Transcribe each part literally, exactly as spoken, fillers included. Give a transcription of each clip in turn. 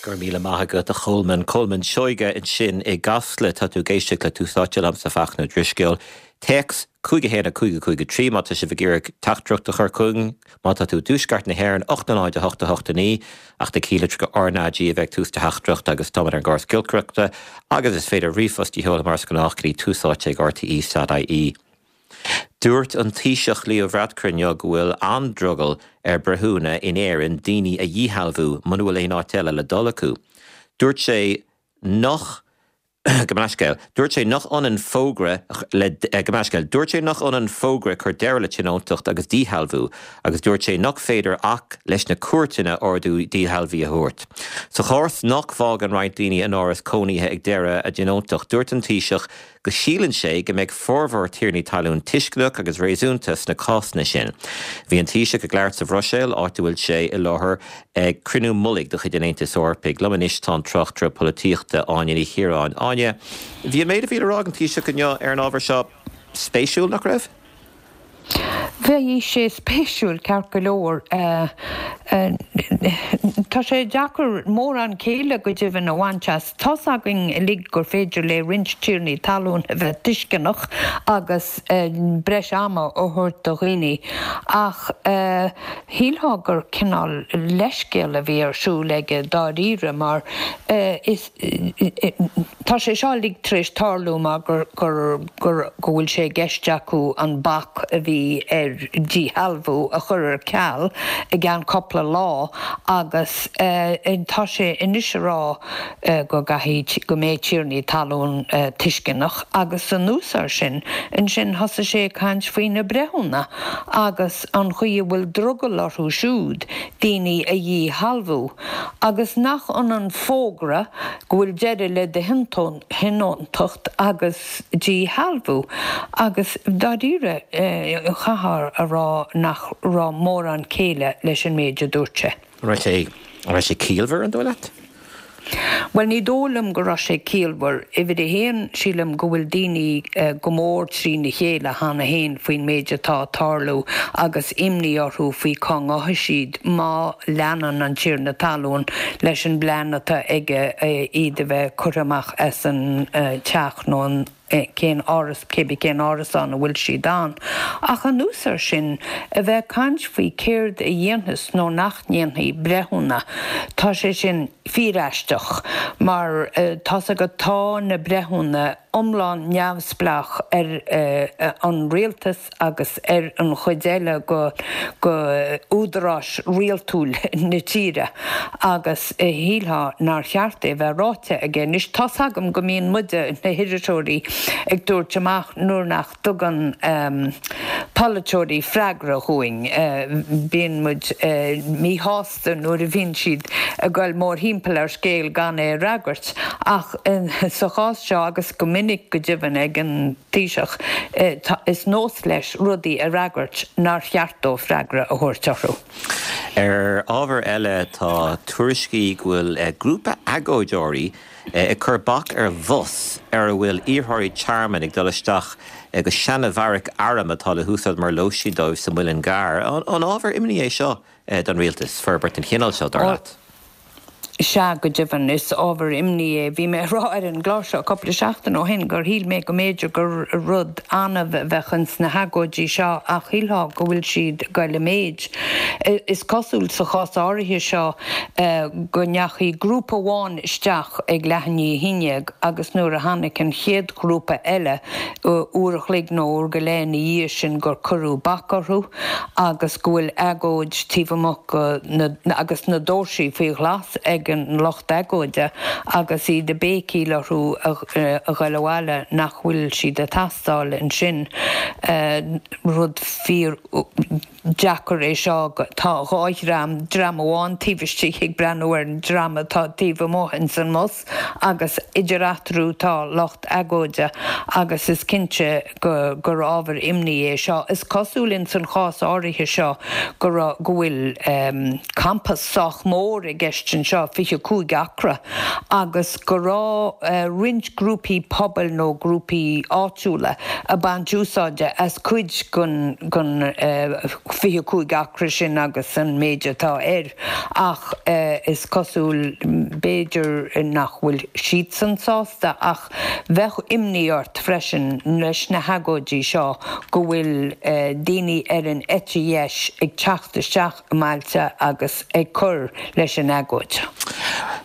Go raibh míle maith agat a Cholmáin Colmán Seoige ansin i gCasla tá tú ag éisteacht le Tús Áite liomsa Fachtna Ó Drisceoil. Téacs cúig a haon a cúig a cúig a trí má tá sibh ag iarraidh teachtaireacht a chur chugainn má tá tú i dtuaisceart na hÉireann ocht a náid a hocht a hocht a naoi ach na cílitreacha R NAG a bheith tús de theachtaireacht agus tá ar an gcóras giolcaireachta agus is féidir ríomhphost a sheoladh mar is gnách go dtí túsáite ag RTE.ie. Dúirt an Taoiseach Leo Varadkar inniu go bhfuil an-drogall ar breithiúna in Éirinn daoine a dhíshealbhú muna bhfuil aon áit eile le dul acu. Dúirt sé nach go meiscéil. Dúirt sé nach ionann fógra le go meiscéil. Dúirt sé nach ionann fógra cur deireadh le tionóntacht agus díshealbhú, agus dúirt sé nach féidir ach leis na cúirteanna ordú díshealbhaithe a thabhairt. Sa chás nach bhfágann roinnt daoine an áras cónaithe ag deireadh a dtionóntacht, dúirt an Taoiseach go síleann sé go mbeidh formhór tiarnaí talún tuisceanach agus réasúnta sna cásanna sin. Bhí an Taoiseach ag labhairt sa Bhruiséil áit a bhfuil sé i láthair ag cruinniú mullaigh de chuid an Aontais Eorpaigh. Liom anois tá an tráchtaire polaitíochta Áine Ní Chiaráin. Áine, bhí an méid a bhí le rá ag an Taoiseach inniu ar an ábhar seo spéisiúil nach raibh? Bhí sé spéisiúil ceart go leor Tá sé deacair mórán céille go deimhin a bhaint as Tá againn uilig gur féidir le roinnt tiarnaí talún a bheith tuisceanach agus breis ama a thabhairt do dhaoine ach shílfeá gur cineál leithscéal a bhí ar siúl aige dáiríre mar is tá sé seo uilig tar éis tarlú mar gur gur gur go bhfuil sé i gceist acu an bac a bhí ar díshealbhú a chur ar ceal i gceann cúpla lá agus tá sé anois ag rá go gcaithfidh go mbeidh tiarnaí talún tuisceanach agus anuas air sin ansin thosaigh sé ag caint faoi na breithiúna agus an chaoi a bhfuil drogall orthu siúd daoine a dhíshealbhú agus nach ionann fógra go bhfuil deireadh le do thionóntacht agus díshealbhú agus dáiríre chaithfeá a rá nach raibh mórán céille leis an méid a dúirt sé. Raibh sé raibh sé ciallmhar an dóigh leat? Well ní dóigh liom go raibh sé ciallmhar uimhir a haon sílim go bhfuil daoine go mór trína chéile cheana féin faoin méid atá ag tarlú agus imní orthu faoi cá ngabhfaidh siad má leanann an tiarna talún leis an bplean atá aige iad a bheith curtha amach as an teach nó an cén áras cébí cén árasán a bhfuil siad ann. Ach anuas air sin a bheith ag caint faoi céard a dhéanfas nó nach ndéanfaidh breithiúna Tá sé sin fíoraisteach mar tá go tá na breithiúna iomlán neamhspleách ar an rialtas agus ar an chuid eile go go údaráis rialtúil na tíre agus shílfeá nár cheart é bheith ráite aige. Anois tá agam go mbíonn muide na hiriseoirí ag tabhairt amach nuair nach dtugann um, polaiteoirí freagra dúinn uh, bíonn muid uh, míshásta nuair a bhíonn siad ag dul mórthimpeall ar scéal gan é a fhreagairt ach uh, sa chás seo agus go minic go deimhin ag an Taoiseach uh, is nós leis rudaí a fhreagairt nár cheart dó freagra a thabhairt orthu. Ar ábhar eile tá tuairiscí go bhfuil grúpa agóideoirí ag cur bac ar bhus ar a bhfuil iarrthóirí tearmainn ag dul isteach go seanbheairic airm atá le húsáid mar lóistín dóibh sa Mhuileann gCearr. An ábhar imní é seo don rialtas forbairt den chineál seo dar leat. Sea go deimhin is ábhar imní é bhí mé rá ar an gclár seo cúpla seachtain ó shin gur shíl mé go mb'fhéidir gur rud annamh a bheadh ins na hagóidí seo ach shílfeá go bhfuil siad ag dul i méid. Is cosúil sa chás áirithe seo go ndeachaigh grúpa amháin isteach ag leath i ndiaidh a haon déag agus nuair a tháinig an chéad ghrúpa eile uair an chloig nó uair go leith ina dhiaidh sin gur cuireadh bac orthu agus go bhfuil agóid taobh amuigh agus na doirse faoi ghlas ag an lucht agóide agus iad ag béicíl orthu a dhul abhaile nach bhfuil siad ag teastáil ansin rud fíordheacair é seo tá dhá dhream dream amháin taobh istigh ag breathnú ar an dream atá taobh amuigh ins an mbus agus idir eatarthu tá lucht agóide agus is cinnte go gur ábhar imní é seo. Is cosúil in san chás áirithe seo go go bhfuil um, campas sách mór i gceist anseo fiche cúig acra agus go raibh uh, roinnt grúpaí pobail nó grúpaí áitiúla ag baint úsáide as cuid den den uh, fiche cúig acra sin agus an méid atá air ach is cosúil b'fhéidir nach bhfuil siadsan sásta ach bheadh imní ort freisin leis na hagóidí seo go bhfuil daoine ar an eite dheis ag teacht isteach i mbailte agus ag cur leis an agóid.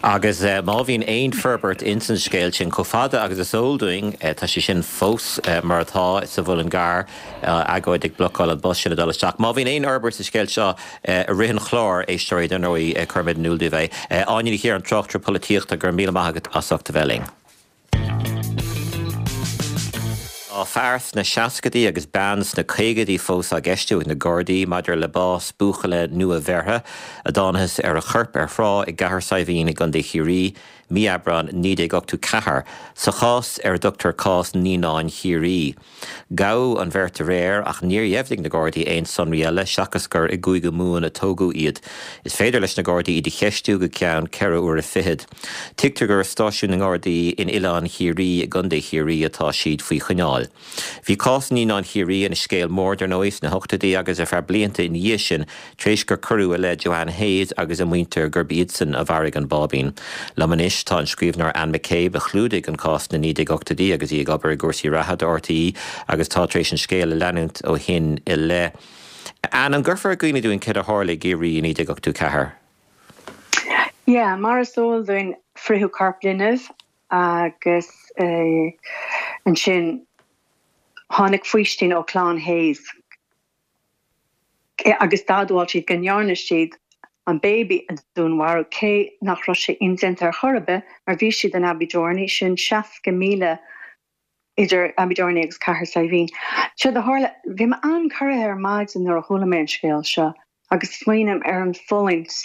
Agus má bhíonn aon forbairt insan scéal sin chomh fada agus is eol dúinn, tá sé sin fós mar atá sa Mhuileann gCearr, agóid ag blocáil an bus sin ag dul isteach. Má bhíonn aon fhorbairt sa scéal seo i rith an chláir, éisteoirí, dar ndóigh, cuirfimid in iúl daoibh é. Áine Ní Chiaráin, tráchtaire polaitíochta, go raibh míle maith agat as ucht a bheith linn. Tá fear sna seascaidí agus bean sna caogaidí fós á gceistiú ag na Gardaí maidir le bás buachalla nua-bheirthe a dtángthas ar a chorp ar thrá i gCathair Saidhbhín i gContae Chiarraí mí Aibreáin naoi déag ochtó ceathair, sa chás ar a dtugtar cás Naíonáin Chiarraí. Gabhadh an bheirt aréir ach níor dheimhnigh na Gardaí aon sonraí eile seachas gur i gCúige Mumhan a tógadh iad. Is féidir leis na Gardaí iad a cheistiú go ceann ceithre huaire fichead. Tuigtear gur i stáisiún na nGardaí in Oileán Chiarraí i gContae Chiarraí atá siad faoi choinneáil. Bhí cás Naíonáin Chiarraí ina scéal mór, dar ndóigh, sna hochtóidí agus ar feadh blianta ina dhiaidh sin, tar éis gur cuireadh i leith Joanne Hayes agus a muintir gurb iadsan a mharaigh an báibín. Liom anois tá an scríbhneoir Anne McCabe a chlúdaigh an cás sna naoi déag ochtóidí agus í ag obair i gcúrsaí reatha do RTÉ agus tá tar éis an scéal a leanúint ó shin i leith. Anne, an gcuirfeá i gcuimhne dúinn céard a tharla i gCiarraí i naoi déag ochtó ceathair? Yeah, mar is eol dúinn fritheadh corp linbh agus ansin tháinig faoistin ó chlann Hayes agus d'admháil siad go ndearna siad an baby a dúnmharú cé nach raibh sé indéanta ar chor ar bith mar bhí siad in Abbeydorney, sin seasca míle idir Abbeydorney agus Cathair Saidhbhín. Séard a tharla, bhí mé an-chorraithe ar maidin nuair a chuala mé an scéal seo agus smaoiním ar an fulaingt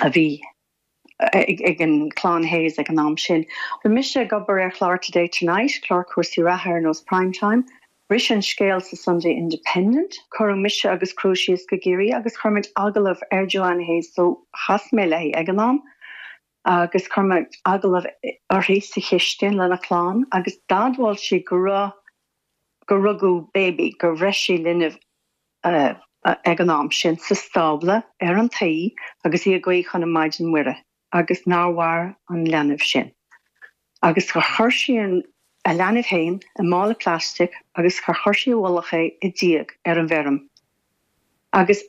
a bhí ag an clann Hayes ag an am sin. Bhí mise ag obair ar chlár Today Tonight, clár cúrsaí reatha ar nós Prime Time. Bhris an scéal sa Sunday Independent, cuireadh mise agus criú síos go Ciarraí agus chuir muid agallamh ar Joanne Hayes so chas mé léi ag an am agus chuir muid agallamh uirthi sa chistin lena clann agus d'admháil sí go raibh go rugadh baby, gur bhreith sí linbh ag an am sin sa stábla ar an tuí agus í ag guí chun an Maighdean Muire agus nár mhair an leanbh sin. Agus gur chuir sí an a leanbh féin i mála plastic agus gur chuir sí i bhfolach é i díog ar an bhfeirm. Agus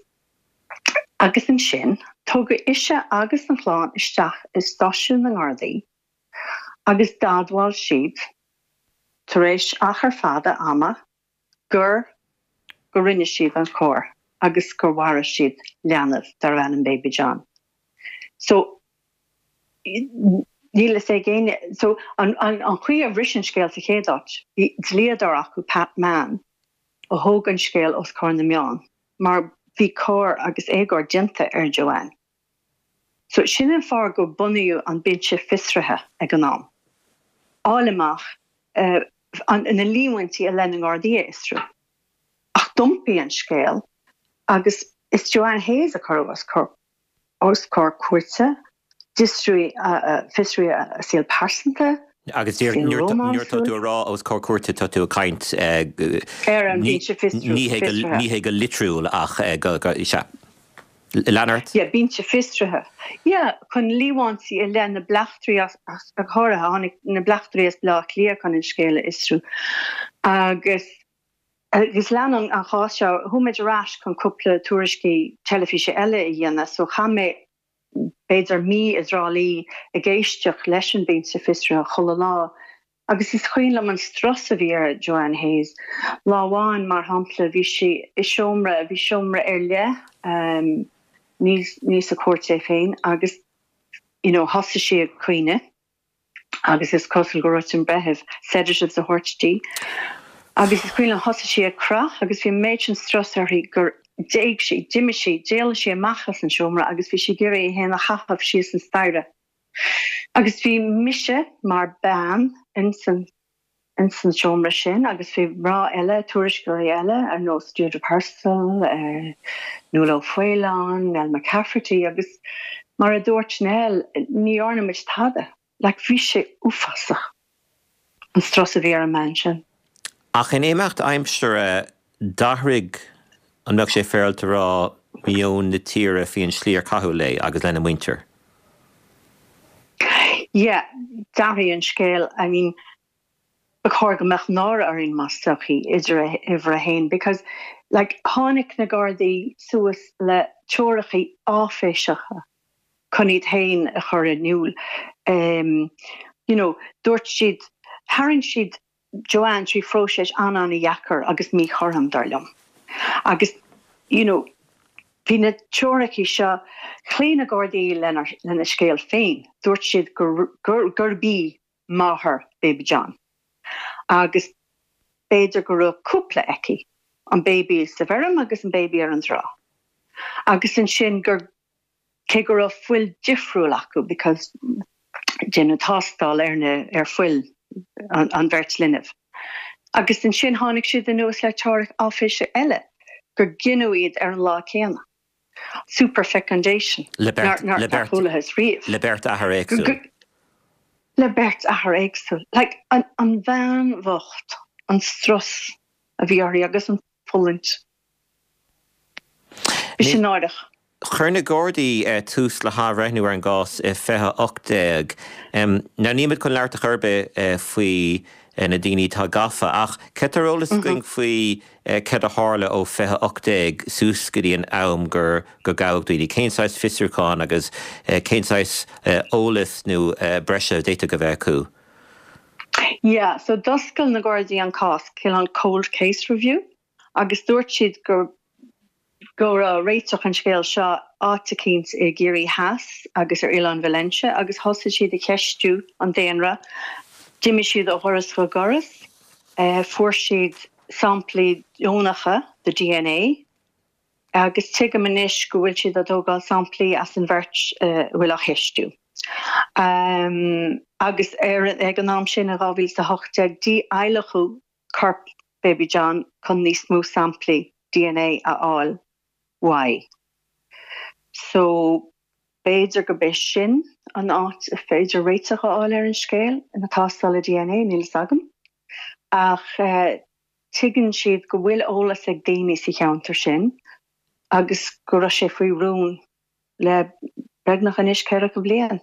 agus ansin tugadh ise agus an chlann isteach i stáisiún na nGardaí agus d'admháil siad, tar éis achar fada ama, gur go rinne siad an choir agus gur mharaigh siad leanbh darbh ainm Baby John. So níl fhios ag éinne. So an an an chaoi a bhris an scéal sa chéad áit, bhí dlíodóir acu, Pat Mann, a thóg an scéal os comhair na meán mar bhí coir agus éagóir déanta ar Joanne. So sin an fáth gur bunaíodh an Binse Fiosraithe ag an am. Fháil amach an na líomhaintí i leith na nGardaí a fhiosrú. Ach d'iompaigh an scéal agus is Joanne Hayes a cuireadh os comhair os comhair cúirte, d'fhiosraíodh a saol pearsanta, Agus saol nuair tá tú ag rá os comhair cúirte tá tú ag caint ar an bhinse ní fiosraithe. Ní hé go litriúil ach go sea. Lean ort. Yeah, binse fiosraithe. Yeah, chun líomhaintí i leith na bleachtairí as, as, go háirithe, tháinig na bleachtairí as Baile Átha Cliath chun an scéal a fhiosrú. Agus agus lean an an chás seo, chuaigh muid ar ais chun cúpla tuairiscí teilifíse eile a dhéanamh, so chaith mé b'fhéidir mí i dTrá Lí ag éisteacht leis an binse fiosraithe chuile lá. Agus is cuimhin liom an strus a bhí ar Joanne Hayes. Lá amháin, mar shampla, bhí sí i seomra, bhí seomra ar leith, ní ní sa chúirt é féin, agus you know thosaigh sí ag caoineadh agus is cosúil go raibh an breitheamh sedatives a thabhairt di. Agus is cuimhin liom thosaigh sí ag croitheadh agus bhí an méid sin strus uirthi gur d'éag sí, d'imigh sí, d'éalaigh sí amach as an seomra agus bhí sí ag iarraidh í féin a chaitheamh síos an staighre. Agus bhí mise mar bean ins an ins an seomra sin agus bhí mná eile, tuairisceoirí eile ar nós Deirdre Purcell, Nuala O'Faoláin, Nell McCafferty agus mar a dúirt Nell, ní dhearna muid tada. Like bhí sé uafásach an strus a bhí ar an mbean sin. Ach in imeacht aimsire d'athraigh An mbeadh sé féaráilte a rá meon na tíre faoin slí ar caitheadh léi agus lena muintir? Yeah, d'athraigh an scéal. I mean, ba chóir go mbeadh náire orainn mar sochaí idir uimhir a haon because like tháinig na Gardaí suas le teoiricí áiféiseacha chun iad féin a chur in iúl. Um, you know, dúirt siad tharraing siad Joanne trí phróiseas an-an-dheacair agus míchothrom dar liom. Agus you know, bhí na teoiricí seo chloígh na Gardaí lena lena scéal féin, dúirt siad gur gur gurb í máthair Baby John. Agus b'fhéidir go raibh cúpla aici, an baby sa bhfeirm agus an baby ar an trá. Agus ansin gur cé go raibh fuil difriúil acu because déanadh tástáil ar na ar fuil an, an bheirt linbh. Agus ansin tháinig siad anuas le teoiric áiféiseach eile gur gineadh iad ar an lá céanna. Superfecundation. Le beirt le beirt riamh. Le beirt athair éagsúil. Le beirt athair éagsúil. Like, an, an bhean bhocht, an strus a bhí uirthi agus an fulaingt. Bhí sé náireach. Chuir na Gardaí tús le hathbhreithniú ar an gcás i fiche ocht déag. Now nílimid chun labhairt ar chor ar bith faoi na daoine atá gafa ach céard tá ar eolas againn faoi céard a tharla ó fiche ocht déag suas go dtí an am gur gur gabhadh daoine. Cén saghas fiosrúchán agus cén saghas eolas nó breise a d'fhéadfadh a bheith acu? Yeah, so d'oscail na Gardaí an cás, cineál cold case review, agus dúirt siad gur go raibh réiteach an scéil seo áit eicínt i gCiarraí Theas agus ar Oileán Valentia agus thosaigh siad ag ceistiú an daonra. D'imigh siad ó dhoras go doras, fuair siad samplaí deonacha de D N A agus tuigim anois go bhfuil siad ag tógáil samplaí as an bheirt a bhfuil á cheistiú. Um, agus ar ag an am sin in dhá mhíle a hocht déag díadhlacadh corp Baby John chun níos mó samplaí D N A a fháil uaidh. So b'fhéidir gurb é sin an áit is féidir réiteach a fháil ar an scéal ina tástáil D N A, níl a fhios agam. Ach uh, tuigeann siad go bhfuil eolas ag daoine sa cheantar sin agus go raibh sé faoi rún le beagnach anois ceathracha bliain.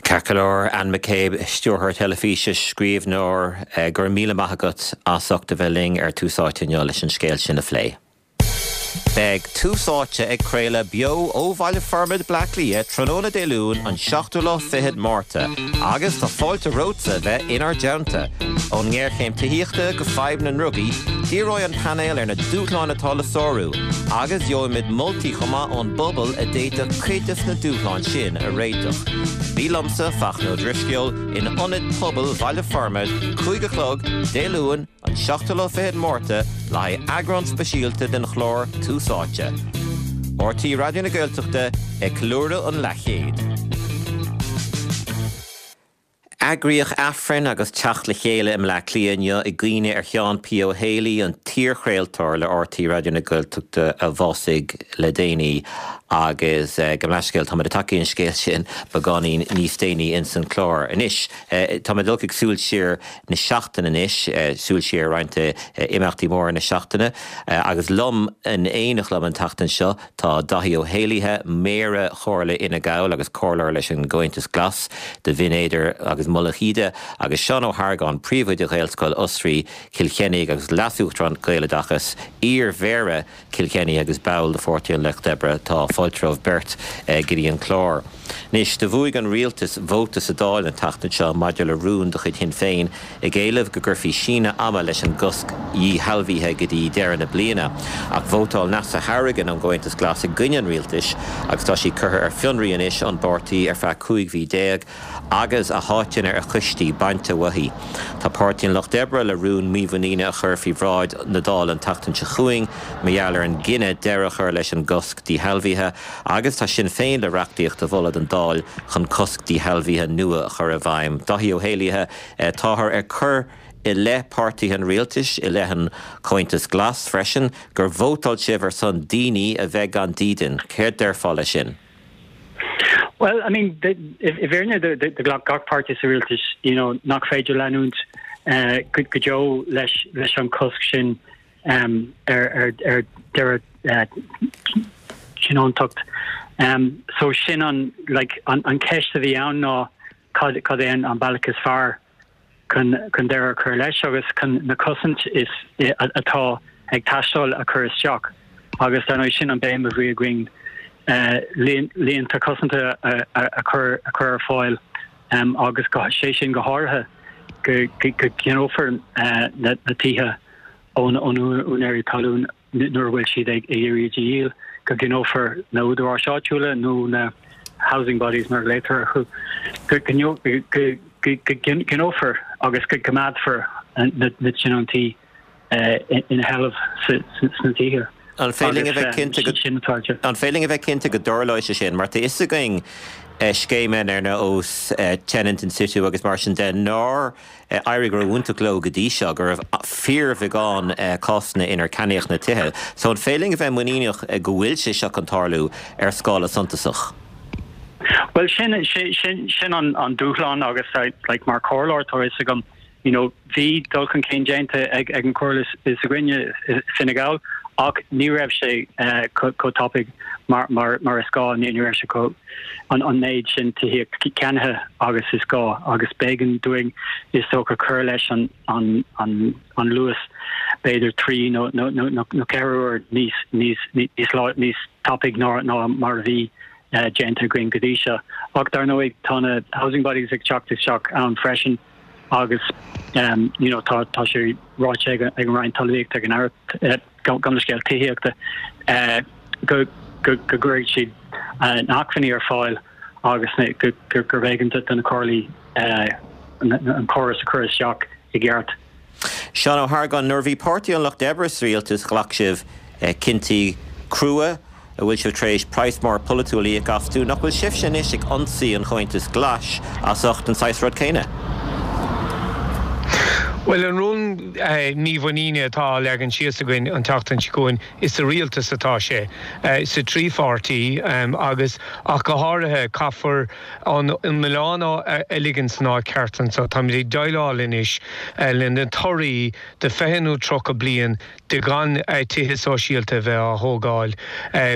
Ceart go leor, Anne McCabe, stiúrthóir teilifíse, scríbhneoir, go raibh míle maith agat as ucht a bheith linn ar Tús Áite inniu leis an scéal sin a phlé. Beidh Tús Áite ag craoladh beo ó Bhaile Formaid Bleá Cliath tráthnóna Dé Luain an seachtú lá fichead Márta, agus tá fáilte romhatsa bheith inár dteannta. Ón ngéarchéim tithíochta go fadhb na ndrugaí, díreoidh an painéal ar na dúshláin atá le sárú, agus gheobhaimid moltaí chomh maith ón bpobal a d'fhéadfadh cuid de na dúshláin sin a réiteach. Bí liomsa, Fachtna Ó Drisceoil, in Ionad Pobail Bhaile Formaid, cúig a chlog, Dé Luain, an seachtú lá fichead Márta le haghaidh eagrán speisialta den chlár Tús Áite. R T É Raidió na Gaeltachta ag ceiliúradh an leathchéid. Eagraíodh Aifreann agus teacht le chéile i mBleá Cliath inniu i gcuimhne ar Sheán P. Ó Héalaí, an t-iarchraoltóir le R T É Raidió na Gaeltachta a bhásaigh le déanaí agus gabh mo leithscéal, táimid ag teacht chuig an scéal sin beagáinín níos déanaí ins an chlár. Anois táimid ag dul chuig súil siar na seachtaine anois, súil siar roinnt imeachtaí móra na seachtaine agus liom in éineacht liom an tseachtain seo tá Daithí Ó hÉalaithe, Méara Chomhairle Fhine Gall agus comhairleoir leis an gComhaontas Glas do Bhinn Éadair agus Mullach Íde agus Seán Ó hArgáin, príomhoide Ghaelscoil Osraí Chill Chainnigh agus Leas-Uachtarán Gaeloideachas, iar-mhéara Chill Chainnigh agus ball de Pháirtí an Lucht Oibre. Tá fáilte romhaibh beirt go dtí an clár. Anois do bhuaigh an rialtas vóta sa Dáil an tseachtain seo maidir le rún de chuid Shinn Féin ag éileamh go gcuirfí síneadh ama leis an gcosc dhíshealbhaithe go dtí deireadh na bliana. Ach vótáil Neasa Hourigan ón gComhaontas Glas i gcoinne an rialtais agus tá sí curtha ar fionraí anois ón bpáirtí ar feadh cúig mhí déag agus a háiteanna ar choistí bainte uaithi. Tá Páirtí an Lucht Oibre le rún mímhuiníne a chur faoi bhráid na Dála an tseachtain seo chugainn mar gheall ar an gcinneadh deireadh a chur leis an gcosc díshealbhaithe agus tá Sinn Féin le reachtaíocht a mholadh don Dáil chun cosc díshealbhaithe nua a chur i bhfeidhm. Daithí Ó hÉalaithe, táthar ag cur i leith páirtithe an rialtais, i leith an Comhaontas Glas freisin, gur vótáil sibh ar son daoine a bheith gan dídean. Céard déarfá leis sin? Well, I mean, i bhfírinne do ghlac gach páirtí sa rialtas, you know, nach féidir leanúint uh, go deo leis leis an cosc sin. um, ar ar ar deireadh uh, tionóntacht. Um, so sin an like an, an ceist a bhí ann ná cad cad é an an bealach is fearr chun chun deireadh a chur leis agus chun na cosaint is atá ag teastáil a chur isteach agus dar ndóigh sin an béim a bhí againn uh, líonta cosanta a, a, a chur a chur ar fáil um, agus go sé sin go háirithe go go gceannófar uh, na, na tithe ón ón úinéirí talún nuair a bhfuil siad ag iarraidh díol go gceannófar na údaráis áitiúla nó na housing bodies mar later chu go gceannófar agus go gcoimeádfar na na tionóntaí ina sheilbh sna tithe. An féidir linn a bheith cinnte an féidir linn a bheith cinnte go dtarlóidh sé sin, mar tá fhios againn scéimeanna ar nós tenant in situ agus mar sin de nár éirigh ró-iontach leo go dtí seo go raibh fíorbheagán cásanna inar ceannaíodh na tithe. So an féidir linn a bheith muiníneach go bhfuil sé seo chun tarlú ar scála suntasach. Well sin sin sin sin an an dúshlán agus like mar chomhairleoir tá fhios agam you know bhí dul chun cinn déanta ag ag an chomhairle s'againne Fine Gall ach ní raibh sé uh, chomh tapaidh mar mar mar is gá ní raibh sé chomh an an méid sin tithíocht ceannaithe agus is gá agus b'éigean dúinn is dócha cur leis an an an an luas b'fhéidir trí nó nó nó nó ceathair uair níos níos níos lá níos tapaidh ná ná mar a bhí uh, déanta againn go dtí seo. Ach dar ndóigh tá na housing bodies ag teacht isteach ann freisin agus um, you know, tá tá sé ráite ag ag an Roinn Talmhaíochta ag an Aire uh, gan scéal tithíochta uh, go go go gcuirfidh siad uh, na hacmhainní ar fáil agus go gur gur b'éigean do na comhairlí uh, an córas a chur isteach i gceart. Seán Ó hArgáin nuair a bhí Páirtí an Lucht Oibre sa rialtas ghlac sibh eh, cinntí crua a bhfuil sibh tar éis praghas mór polaitiúil a íoc astu nach bhfuil sibhse anois ag ionsaí an Chomhaontais Ghlais as ucht an saghas rud céanna. Well an rún eh, mímhuiníne atá leagan síos againn an tseachtain seo chugainn is sa rialtas atá sé eh, sa trí pháirtí um, agus ach go háirithe caithfear an an milleán a ligean san áit cheart anseo táimid ag déileáil anois eh, le na torthaí de fiche nó tríocha bliain de gan tithe sóisialta bheith á thógáil.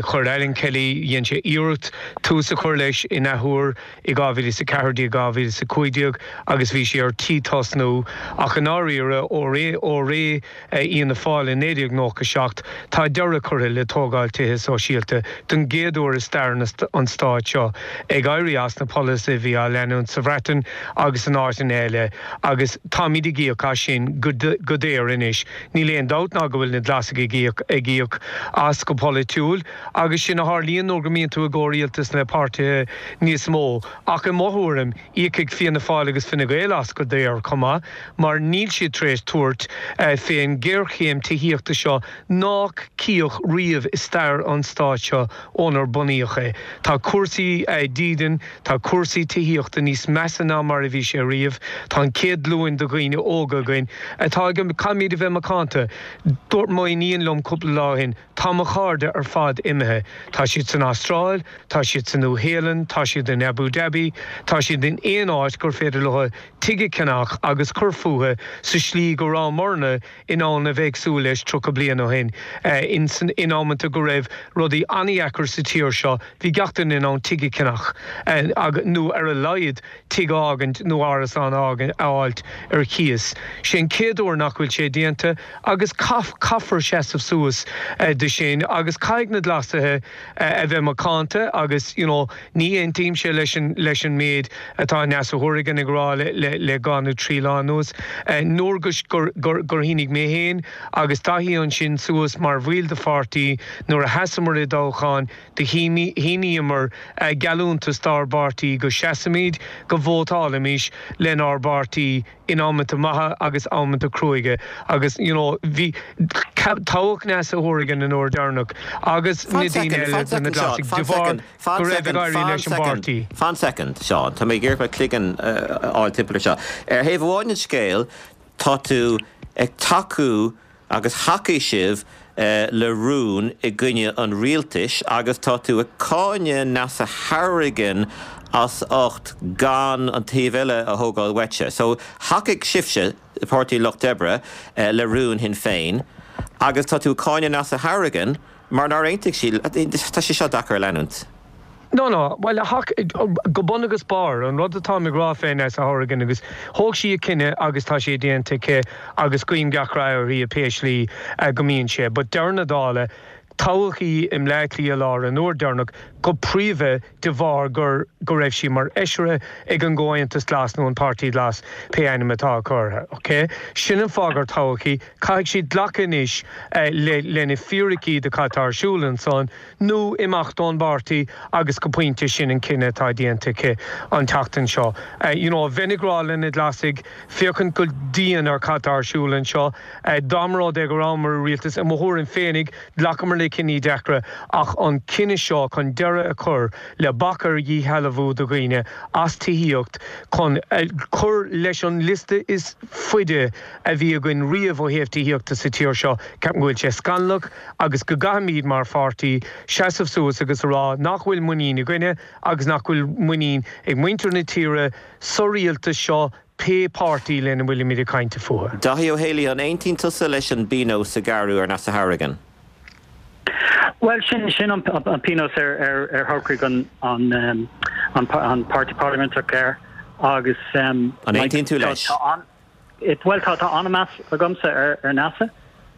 Chuir Alan Kelly dhein sé iarracht tús a chur leis in athuair i dhá mhíle is a ceathair déag dhá mhíle is a cúig déag agus bhí sé ar tí tosnú ach an áiríre ó ré ó ré Fhianna Fáil i naoi déag nócha seacht tá deireadh curtha le tógáil tithe sóisialta den gcéad uair i stair an stáit seo ag éirí as na polasaithe a bhí á leanúint sa Bhreatain agus in áiteanna eile agus táimid ag íoc as sin go daor anois. Níl aon dabht ná go bhfuil na Glasaigh ag íoc ag íoc as go polaitiúil, agus sin a tharlaíonn nuair go mbíonn tú i gcomhrialtas le páirtithe níos mó. Ach i mo thuairim, íocfaidh Fianna Fáil agus Fine Gael as go daor chomh maith, mar níl siad tar éis tabhairt fén ghéarchéim tithíochta seo nách cíodh riamh i stair an stáit seo ónar bunaíodh é. Tá cúrsaí dídine, tá cúrsaí tithíochta níos measa ná mar a bhí sé riamh, tá an chéad ghlúin de dhaoine óga againn atá ag caithfimid a bheith macánta. Dúirt m'iníon liom cúpla lá ó shin, tá mo chairde ar fad imithe. Tá siad san Astráil, tá siad sa Nua-Shéalainn, tá siad in Abu Dhabi, tá siad in aon áit gur féidir leo tigh a cheannach agus cur fúthu sa slí go rabhamarna in ann a bheith ag súil leis tríocha bliain ó shin. In san in amanta go raibh rudaí an-deacair sa tír seo, bhí gach duine in ann tigh a cheannach nó ar a laghad tigh a fhágaint nó árasán a fháilt ar cíos. Sé an chéad uair nach bhfuil sé déanta agus caithfear seasamh suas de sin agus caithfidh na Glasaithe a bheith macánta agus you know, ní aontaímse leis an leis an méid atá Neasa Hourigan ag rá le, le, le dhá nó trí lá anuas. Nuair gur, gur, gur shínigh mé féin agus Daithí ansin suas mar bhaill de pháirtí nuair a sheasamar i dtoghchán do shíníomar geallúntas dár bpáirtí go seasfaimid go vótálfaimis lenár bpáirtí in amanta maithe agus amanta cruaidhe agus you know, bhí toghadh Neasa Hourigan an uair dheireanach agus na daoine eile de na Glasaigh de bharr go raibh ag éirí leis an bpáirtí. Fan second, Seán, Tá mé ag iarraidh mo chloigeann a fháil timpeall seo. Ar thaobh amháin den scéal tá tú ag tacú agus thacaigh sibh le rún i gcoinne an rialtais agus tá tú ag cáineadh Neasa Hourigan as ucht gan an taobh eile a thógáil uaitse. So thacaigh sibhse Páirtí Lucht Oibre le rún Shinn Féin Agus tá tú ag cáineadh Neasa Hourigan mar nár aontaigh sí, tá sé seo deacair a leanúint. No, no, bhuel, go bun agus barr, an rud atáim ag rá fé Neasa Hourigan agus thóg sí a cinneadh agus tá sé déanta aici agus guím gach rath uirthi i pé slí go mbíonn sé, but deireadh na dála, toghadh í i mBleá Cliath Láir an uair deireanach go príomha de bharr gur go raibh sí mar fheisire ag an gComhaontas Glas nó an Páirtí Glas, pé ainm atá acu uirthi. Ok? Sin an fáth gur toghadh í. Caithfidh sí glacadh anois le le na fíricí de cad tá ar siúl ansan nó imeacht ón bpáirtí agus go pointe sin an cinneadh atá déanta aici an tseachtain seo. You know, bheinn ag rá le na Glasaigh féachaint go dian ar cad tá ar siúl anseo. Dá mba rud é go rabhamar i rialtas, i mo thuairim féinig, ghlacamar le cinní deacra ach an cinneadh seo chun deireadh a chur le bac ar dhíshealbhú do dhaoine as tithíocht chun cur leis an liosta is faide a bhí againn riamh ó thaobh tithíochta sa tír seo, ceapaim go bhfuil sé scannalach agus go gcaithfimid mar pháirtí seasamh suas agus a rá nach bhfuil muinín againne agus nach bhfuil muinín ag muintir na tíre sa rialtas seo pé páirtí lena bhfuilimid ag caint fúthu. Dáithí Ó Héalaí, an aontaíonn tusa leis an bpionós a gearradh ar Neasa Hourigan? Bhuel, sin sin an pionós ar ar ar shocraigh an an an an páirtí parlaiminteach air agus An aontaíonn tú leis? Bhuel, tá tá an-mheas agamsa ar ar Neasa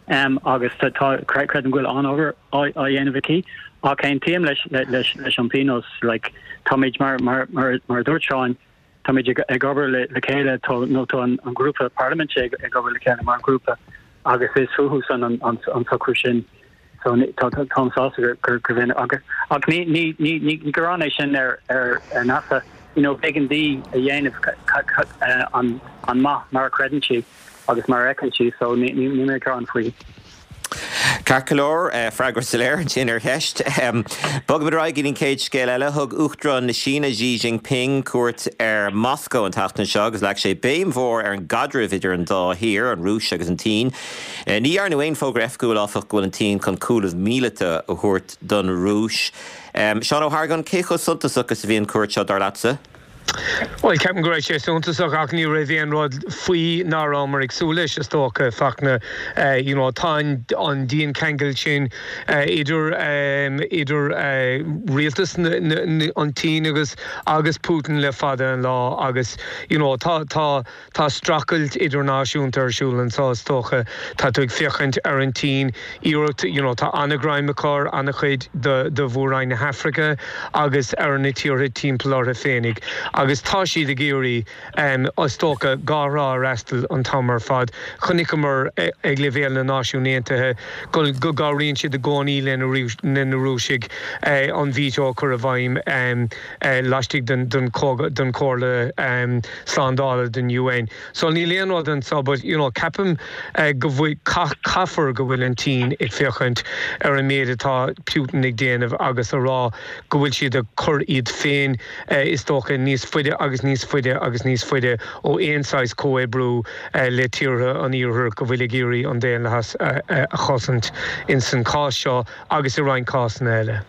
agus tá tá creidim go bhfuil an-obair á á dhéanamh aici ach aontaím leis leis leis an pionós like táimid mar mar mar mar a dúirt Seán táimid ag ag obair le le chéile tá nó tá an an grúpa parlaiminte ag ag obair le chéile mar ghrúpa agus is fúthu san an an an socrú sin so tá táim sásta gur gur gur bhíonn agus ach ní ní ní ní gearán é sin ar ar ar Neasa you know b'éigean di a dhéanamh an an maith mar a chreideann sí agus mar a fheiceann sí so ní ní ní mé gearán faoi. Ceart go leor, freagra soiléir ansin ar cheist. Bogaimid ar aghaidh go dtí an chéad scéal eile. Thug Uachtarán na Síne Xi Jinping cuairt ar Moscó an tseachtain seo agus leag sé béim mhór ar an gcaidreamh idir an dá thír, an Rúis agus an tSín. Ní dhearnadh aon fógra oifigiúil, áfach, go bhfuil an tSín chun cúnamh míleata a thabhairt don Rúis. Seán Ó hArgáin, cé chomh suntasach is a bhí an chuairt seo, dar leatsa? Bhuel, ceapaim go raibh sé suntasach ach ní raibh aon rud faoi nach rabhamar ag súil leis, is dócha, Fachtna. You know, tá an diancheangal sin idir idir rialtas an tSín agus agus Putin le fada an lá agus you know, tá tá tá streachailt idirnáisiúnta ar siúl anseo, is dócha. Tá tú ag féachaint ar an tSín, iarracht, you know, tá an-ghreim acu ar an-chuid de de mhór-roinn na hAfraice agus ar na tíortha timpeall orthu féinig agus tá siad ag iarraidh, is dócha, dhá thrá a fhreastal an t-am ar fad. Chonaiceamar ag leibhéal na Náisiún Aontaithe go go gcabhraíonn siad i gcónaí le na Rúisigh an veto a chur i bhfeidhm laistigh den den den Chomhairle Slándála den UN. So níl aon rud anseo but you know ceapaim go bhfuil caithfear go bhfuil an tSín ag féachaint ar an méid atá Putin ag déanamh agus a rá go bhfuil siad ag cur iad féin is dócha níos faide agus níos faide agus níos faide ó aon saghas comhoibriú le tíortha an iarthair go bhfuil ag iarraidh an daonlathas a chosaint ins an cás seo agus i roinnt cásanna eile.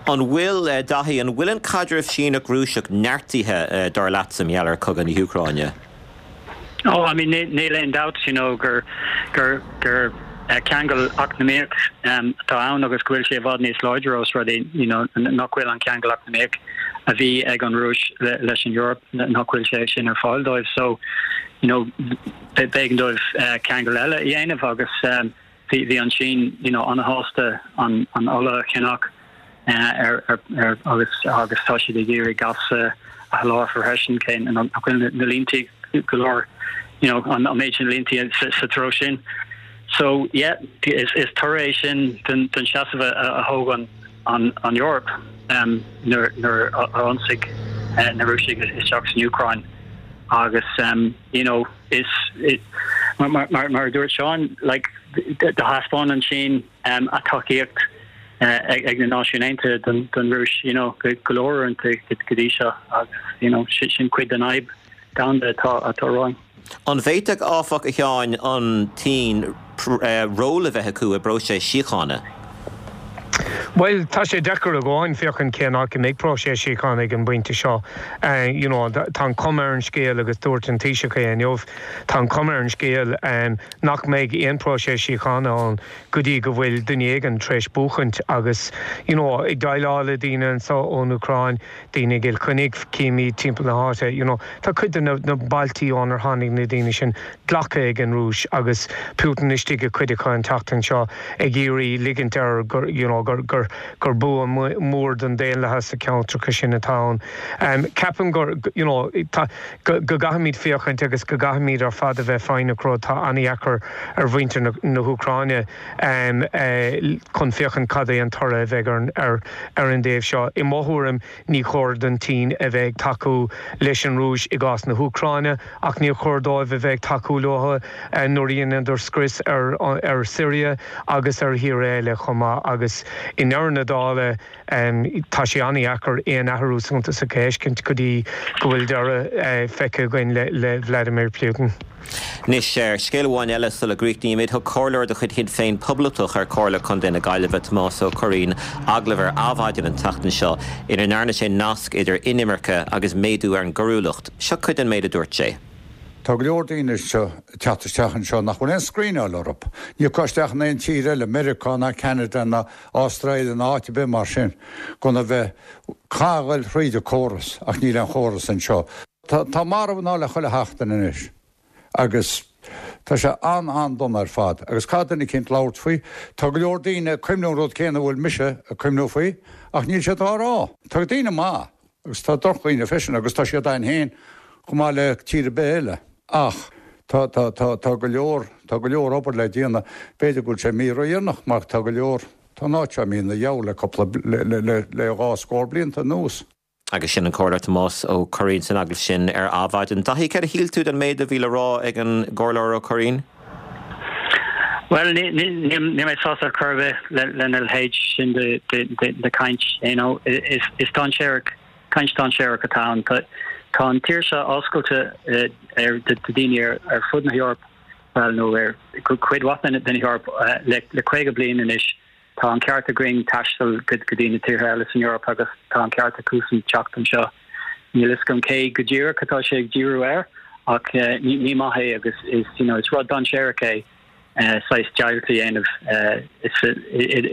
An bhfuil, Dáithí, an bhfuil an caidreamh Síneach-Rúiseach neartaithe dar leatsa mar gheall ar chogadh na hÚcráine? Oh, I mean, níl aon dabht, you know, gur gur gur ceangal eacnamaíoch atá ann agus go bhfuil sé i bhfad níos láidre os rud é, you know, nach bhfuil an ceangal eacnamaíoch a bhí ag an Rúis leis an Eoraip, nach bhfuil sé sin ar fáil dóibh. So, you know, b'éigean dóibh ceangal eile a dhéanamh agus bhí bhí an tSín, you know, an-shásta an an ola a cheannach ar ar ar agus agus tá siad ag iarraidh gas a sholáthar freisin cé nach bhfuil na línte go leor you know an an méid sin línte sa, sa treo sin. So yeah, is is toradh é sin den den seasamh a, a thóg an an an Eoraip um, nuair nuair a ionsaigh uh, na Rúisigh isteach san Úcráin agus um, you know is it, mar mar mar, mar dúirt Seán like do thaispeáin an tSín um, a tacaíocht uh, ag, ag na Náisiúin Aontaithe don, don Rúis you know go go leor uaireanta go dtí seo agus you know sin, sin cuid den fhadhb domhanda atá atá romhainn. An bhféadfadh áfach a Sheáin an tSín ról a bheith acu i bpróiseas síochána? Well tá sé deacair a gháin féachaint cén áit a mbeidh próiseas síochána ag an bpointe seo. Uh, you know, tá an chuma ar an scéal agus dúirt an Taoiseach é inniu tá an chuma ar an scéal um, nach mbeidh aon próiseas síochána ann go dtí go bhfuil duine éigin tar éis buachaint agus you know, ag déileáil le daoine anseo ón Úcráin daoine i gCill Chainnigh címid timpeall na háite you know, tá cuid de na, na bailtí ónar tháinig na daoine sin glactha ag an Rúis agus Putin istigh i gcuid acu an tseachtain seo ag iarraidh ligint air gur, you know, gur, gur, gur bua mór don daonlathas sa cheantar sin atá ann. Um, Ceapaim gur you know, tá, go, go gcaithfimid féachaint agus go gcaithfimid ar fad a bheith foighneach tá an-deacair ar mhuintir na, na hÚcráine um, uh, chun féachaint cad é an toradh a bheidh ar, ar, ar an dtaobh seo. I mo thuairim ní chóir don tSín a bheith tacú leis an Rúis i gcás na hÚcráine ach ní chóir dóibh a bheith tacú leo uh, nuair a dhéanann scrios ar, ar Syria agus ar thíortha eile chomh maith agus i ndeireadh na dála um, tá sé an-deacair aon athrú suntasach a fheiscint go dtí go bhfuil deireadh uh, feicthe againn le, le Vladimir Putin. Anois ar scéal amháin eile sula gcríochnaímid thug comhairleoir de chuid Shinn Féin Poblachtach ar Chomhairle Contae na Gaillimhe Tomás Ó Curraoin agallamh ar Adhmhaidin an tseachtain seo ina ndearna sé nasc idir inimirce agus méadú ar an gcoiriúlacht. Seo cuid den méid a dúirt sé. Tá go leor daoine seo teacht isteach anseo nach bhfuil aon screenáil orthu. Ní isteach in aon tír eile Meiriceá ná Canada ná Astráil ná áit ar bith mar sin gan a bheith ag gabháil thríd an córas ach níl an chóras anseo. Tá, tá marbh ná le chuile sheachtain anois. agus Tá sé an an-dona ar fad, agus cad duine cint labhairt faoi, Tá go leor daoine cuimhneamh rud céanna bhfuil mise ag cuimhneamh faoi, ach níl sé á rá. Tá daoine maith agus tá drochdhaoine freisin agus tá siad ann féin chomh maith le tír ar bith eile. Ach tá tá tá tá go leor tá go leor obair le déanamh b'fhéidir go bhfuil sé mídhaonna mar tá go leor Tá ná mí na jeall le cúpla le le le le dhá scór blianta anuas. Agus sin an Comhairleoir Tomás Ó Curraoin san agallamh sin ar Adhmhaidin. Daithí céard a shíl tú den méid a bhí le rá ag an gComhairleoir Ó Curraoin? Well ní mé sásta chur le lena leithéid sin de de de caint you know is is dainséarach caint dainséarach atá ann tá an tír seo oscailte ar de daoine ar ar fud na hEorpa well nó ar cuid mhaith den Eoraip le le caoga bliain anois tá an ceart againn taisteal go go dtí na tíortha eile san Eoraip agus tá an ceart acusan teacht anseo. Níl fhios agam cé go díreach atá sé ag díriú air ach uh, ní ní maith é agus is you know, is rud dainséarach é uh, saghas deighilt a dhéanamh uh,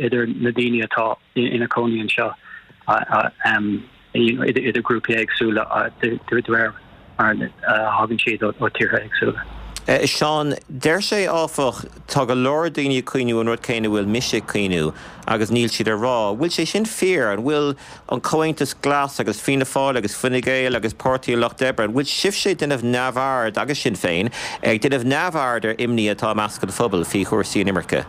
idir na daoine atá ina gcónaí anseo uh, um, you know, idir idir grúpaí éagsúla de réir mar a thagann siad ó tíortha éagsúla. Uh, Seán deir sé áfach tá go leor daoine ag cuimhneamh an rud céanna bhfuil mise ag cuimhneamh agus níl siad á rá. Bhfuil sé sin fíor an bhfuil an Comhaontas Glas agus Fianna Fáil agus Fine Gael agus Páirtí an Lucht Oibre, bhfuil sibhse ag déanamh neamhaird agus Sinn Féin ag déanamh neamhaird ar imní atá i measc an phobail faoi chúrsaí inimirce.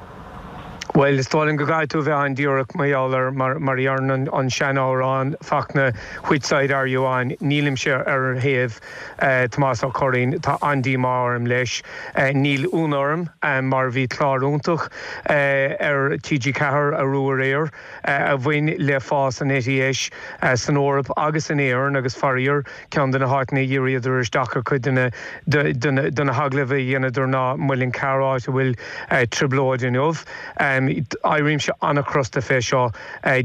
Well is dóigh go gcaithfidh tú bheith an-díreach mar gheall mar mar an an seanamhrán Fachtna which side are you on nílimse ar thaobh uh, Tomás Ó Curraoin tá an-díomá orm leis uh, níl ionadh orm um, mar bhí clár iontach uh, ar TG Ceathair arú aréir uh, a bhain le fás an eite dheis uh, san Eoraip agus in Éirinn agus faraor ceann de na háiteanna a dhíríodar isteach ar chuid de na hagallaimh a dheineadar ná Muileann gCearr áit a bhfuil uh, trioblóid inniu. Um, Éirímse an-chrosta fé seo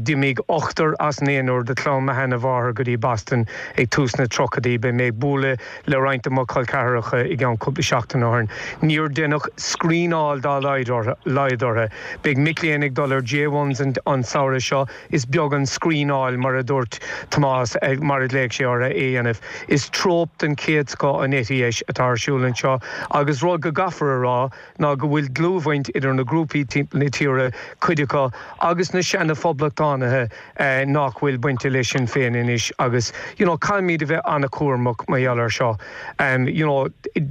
d'imigh ochtar as naonúr de chlann mo sheanmháthar go dtí Boston ag tús na dtríochaidí beidh mé ag bualadh le roinnt de mo chol ceathracha i gceann cúpla seachtain ó shin. Níor deineadh screenáil dá laghad orthu. Beidh mic léinn ag dul ar J ones an, an samhradh seo is beag an screenáil mar a dúirt Tomás mar a léigh sé orthu é dhéanamh. Is tróp den chéad scoth an eite dheis atá ar siúl anseo agus rud go gcaithfear a rá ná go bhfuil dlúthbhaint idir na grúpaí timpeall na tíre cuid acu agus na seana-phoblachtánaithe eh, nach bhfuil bainte leis Sinn Féin anois agus you know, caithfimid a bheith an-chúramach mar gheall air seo. Um, you know,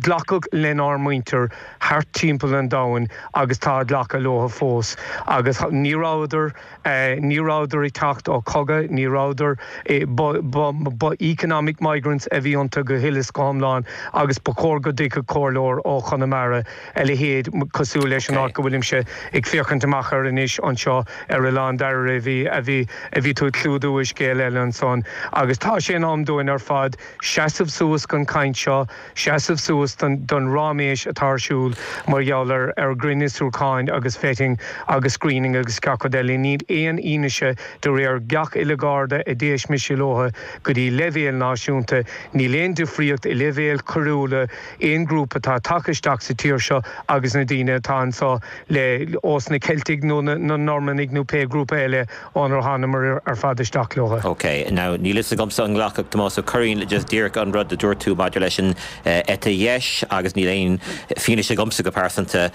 glacadh lenár muintir thart timpeall an domhain agus tá glacadh leo fós agus ní rabhadar eh, ní rabhadar ag teacht ó chogadh, ní rabhadar eh, ba economic migrants a bhí iontu go huile is go hiomlán agus ba chóir go dtuigfeadh comhairleoir ó Chonamara a leithéid cosúil leis an áit go bhfuilimse ag féachaint amach air anois anseo ar Oileán Dairbhre a bhí a bhí a bhí tú ag clúdú i scéal eile ansan agus tá sé in am dúinn ar fad seasamh suas don chaint seo, seasamh suas don don ráiméis atá ar siúl mar gheall ar ar ghrinnfhiosrúcháin agus vetting agus screening agus gach rud eile. Níl aon fhianaise de réir gach uile Gharda a d'éist mise leo go dtí leibhéal náisiúnta, níl aon difríocht i leibhéal coiriúla aon ghrúpa atá tagtha isteach sa tír seo agus na daoine atá anseo le ós na Ceiltigh nó na Normannaigh nó pé grúpa eile ónar thánamar ar fad isteach leo. Ok, now níl fhios agamsa an nglacfadh Tomás Ó Curraoin le just díreach an rud a dúirt tú maidir leis an eite dheis agus níl aon fianaise agamsa go pearsanta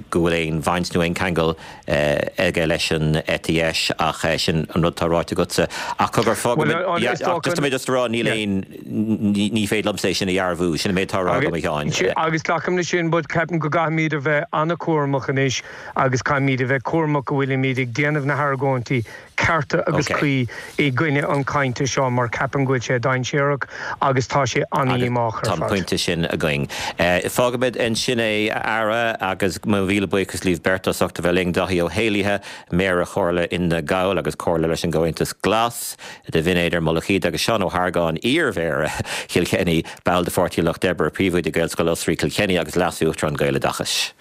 go bhfuil aon bhaint nó aon ceangal aige leis an eite dheis ach sin an rud atá ráite agatsa. Ach cogar fágfaimid just mé just a rá níl aon ní féidir liomsa é sin a dhearbhú, sin an méid atá á rá agam a Sheáin. Agus glacaim leis sin, but ceapaim go gcaithfimid a bheith an-chúramach anois agus caithfimid a bheith cúramach go bhfuilimid ag déanamh na hargóintí cearta agus cuí i gcoinne an cainte seo mar ceapaim go bhfuil sé dainséarach agus tá sé an-dhíomách ar Tá an fad. pointe sin againn. Fágfaimid ansin é a Aire agus mo mhíle buíochas libh beirt as ucht a bheith linn Dáithí Ó hÉallaithe, Méara Chomhairle Fhine Gall agus Comhairleoir leis an gComhaontas Glas de Bhinn Éadair Mullach Íde agus Seán Ó hArgáin iar-mhéara Chill Chainnigh, ball de Pháirtí an Lucht Oibre, Príomhoide Gaelscoil Osraí Chill Chainnigh agus Leas-Uachtarán Gaeloideachais.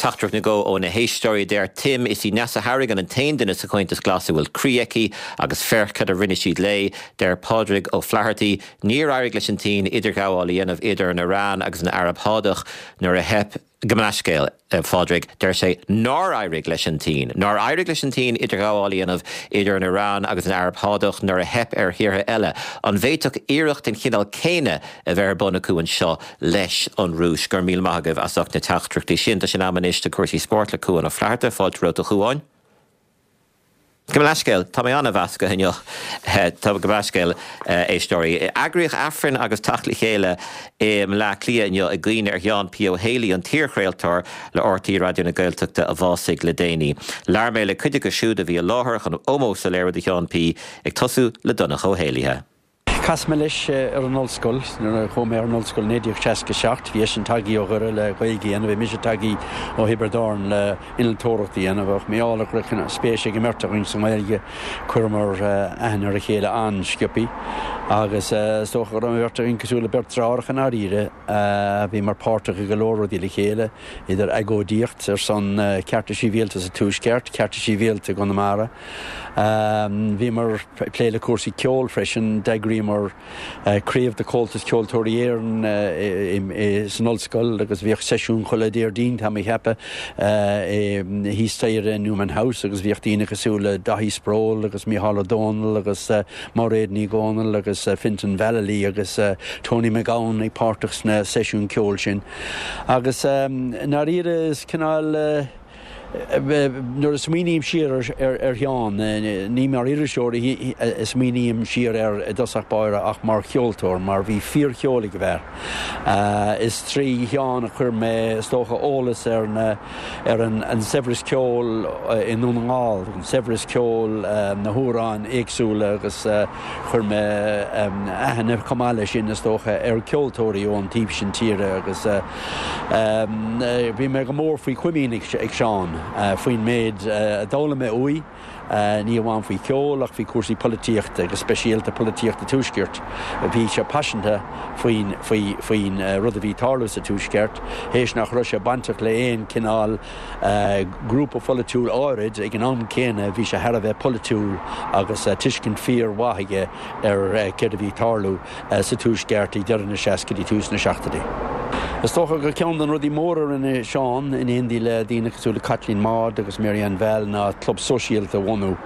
Teachtaireacht nó dhó ó na héisteoirí, deir Tim, Is í Neasa Hourigan an t-aon duine sa Chomhaontas Glas a bhfuil croí aici agus féach cad a rinne siad léi. Deir Pádraig Ó Flathartaigh, Níor éirigh leis an tSín idirghabháil a dhéanamh idir an Iaráin agus an Araib Shádach nuair a theip Gabh mo leithscéal, a Phádraig, deir sé nár éirigh leis an tSín, nár éirigh leis an tSín idirghabháil a dhéanamh idir an Iaráin agus an Araib Shádach nuair a theip ar thíortha eile. An bhféadfadh iarracht den chineál céanna a bheith ar bun acu anseo leis an Rúis? Go raibh míle maith agaibh as ucht na teachtaireachtaí sin. Tá sé in am anois do chúrsaí spóirt le Cuan Ó Flatharta. Fáilte romhat a Chuáin. Gabh mo leithscéal, tá mé an-mheasctha inniu. Tá gabh mo leithscéal, éisteoirí. Eagraíodh Aifreann agus teacht le chéile i mBleá Cliath inniu i gcuimhne ar Sheán P. Ó Héalaí, an t-iarchraoltóir le RTÉ Raidió na Gaeltachta a bhásaigh le déanaí. Labhair mé le cuid acu siúd a bhí i láthair chun ómós a léiriú do Sheán P. ag tosú le Donncha Ó hÉallaithe. Chas mé leis ar an ollscoil nuair a chuaigh mé ar an ollscoil naoi déag seasca seacht. Bhí eisean tagtha ó Dhoire le Gaeilge a dhéanamh, bhí mise tagtha ó Thiobraid Árann le innealtóireacht a dhéanamh ach mar gheall go raibh spéis ag an mbeirt againn sa nGaeilge chuireamar aithne ar a chéile an-sciobtha agus is dócha go raibh an bheirt againn cosúil le beirt deartháireacha i ndáiríre. Bhíomar páirteach i go leor rudaí le chéile, idir agóidíocht ar son cearta sibhialta sa Tuaisceart, cearta sibhialta i gConamara. Bhíomar ag plé le cúrsaí ceoil freisin, d'eagraíomar craobh de Chomhaltas Ceoltóirí Éireann san ollscoil agus bhíodh seisiún chuile Déardaoin, tá mé ag ceapadh, thíos staighre i Newman House agus bhíodh daoine cosúil le Dáithí Sproule agus Mícheál Ó Domhnaill agus Mairéad Ní Dhomhnaill agus Fintan Vallely agus Tony McGowan ag páirteach sna seisiúin ceoil sin. Agus i ndáiríre is cineál nuair a smaoiním siar ar Sheán, ní mar iriseoir a smaoiním siar air i dtosach báire ach mar cheoltóir, mar bhí fíorcheol ag an bhfear. Is trí Sheán a chuir mé, is dócha, eolas ar na ar an saibhreas ceoil i nDún na nGall, an saibhreas ceoil, na hamhráin éagsúla agus chuir mé aithne chomh maith leis sin, is dócha, ar cheoltóirí ón taobh sin tíre agus bhí mé go mór faoi chomaoin ag Seán faoin méid a d'fhoghlaim mé uaidh, ní amháin faoi cheol ach faoi chúrsaí polaitíochta, go speisialta polaitíocht an Tuaiscirt. Bhí sé paiseanta faoin faoi faoin rud a bhí ag tarlú sa Tuaisceart, théis nach raibh sé bainteach le haon chineál grúpa pholaitiúil áirid, ag an am céanna bhí sé thar a bheith polaitiúil agus tuiscint fíor-mhaith aige ar céard a bhí ag tarlú sa Tuaisceart ag deireadh na seascaidí, tús na seachtóidí. Is dócha gur ceann de na rudaí móra a rinne Seán, in éindí le daoine cosúil le Caitlín Maude agus Mary Ann Val, ná club sóisialta a bhunú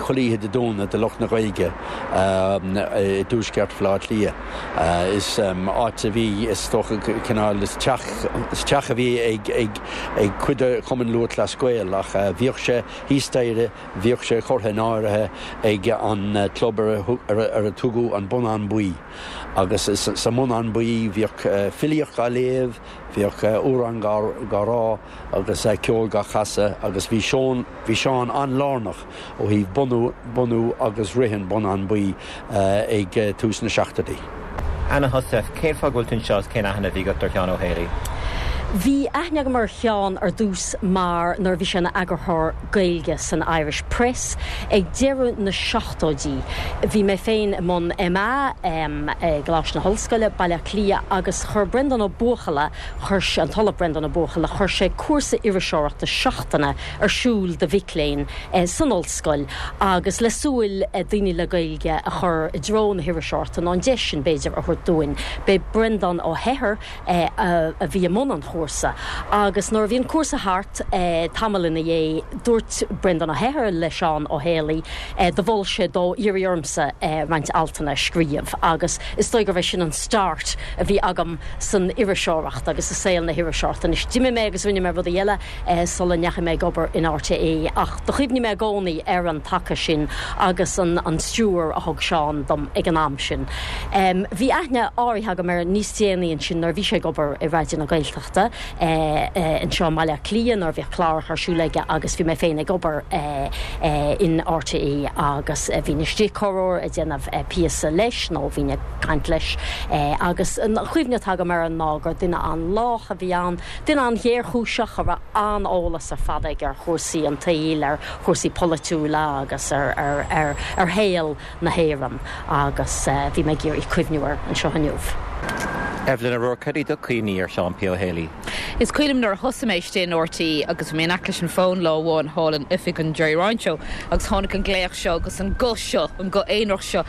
chuile oíche Dé Domhnaigh do lucht na Gaeilge i dtuaisceart Bhaile Átha Cliath. Is áit a bhí, is dócha, cineál, is teach, is teach a bhí ag ag cuid de Chumann Lúthchleas Gael ach bhíodh sé thíos staighre, bhíodh sé curtha in áirithe ag an club ar a tugadh an Bonnán Buí. Agus sa mBonnán Buí bhíodh filíocht á léamh, bhíodh amhráin á rá agus ceol á chasadh agus bhí Seán, bhí Seán an-lárnach ó thaobh bunú, bunú agus rith an Bonnán Buí ag tús na seachtóidí. Anna Heussaff, cén fáth go bhfuil tú anseo is cén aithne a bhí agat ar Sheán Ó Héalaí? Bhí aithne agam ar Sheán ar dtús mar nuair a bhí sé ina eagarthóir Gaeilge san Irish Press ag deireadh na seachtóidí. Bhí mé féin i mbun MA i gColáiste na hOllscoile, Baile Átha Cliath agus chuir Breandán Ó Buachalla, chuir sé, an tOllamh Breandán Ó Buachalla, chuir sé cúrsa iriseoireachta seachtaine ar siúl do mhic léinn san ollscoil agus le súil daoine le Gaeilge a chur i dtreo na hiriseoireachta nó an deis sin b'fhéidir a thabhairt dúinn. B'é Breandán Ó hEithir a bhí i mbun an chúrsa agus nuair a bhí an cúrsa thart tamall ina dhiaidh dúirt Breandán Ó hEithir le Seán Ó Héalaí do mhol sé dó iarraidh ormsa roinnt altanna a scríobh agus is dóigh gurbh é sin an start a bhí agam san iriseoireacht agus i saol na hiriseoireachta. Anois d'imigh mé agus rinne mé rudaí eile sula ndeachaigh mé ag obair in RTÉ ach do chuimhnigh mé i gcónaí ar an taca sin agus an an stiúir a thug Seán dom ag an am sin. Bhí aithne áirithe agam air níos déanaí ansin nuair a bhí sé ag obair i Raidió na Gaeltachta anseo i mBaile Átha Cliath nuair a bhíodh cláracha ar siúl aige agus bhí mé féin ag obair in RTÉ agus bhínn istigh corruair ag déanamh píosa leis nó bhínn ag caint leis agus an chuimhne atá agam air ná gur duine an-lách a bhí ann, duine an-ghéarchúiseach a raibh an-eolas ar fad aige ar chúrsaí an tsaoil, ar chúrsaí polaitiúla agus ar ar ar shaol na hÉireann agus bhí mé ag iarraidh cuimhniú air anseo inniu. Evelyn O'Rourke, cad iad do chuimhní ar Seán P. Ó Héalaí? Is cuimhin liom nuair a thosaigh mé istigh in RTÉ agus bhí mé in aice leis an bhfón lá amháin thall in oifig an Gerry Ryan Show agus tháinig an glaoch seo agus an guth seo, an guth aonarach seo.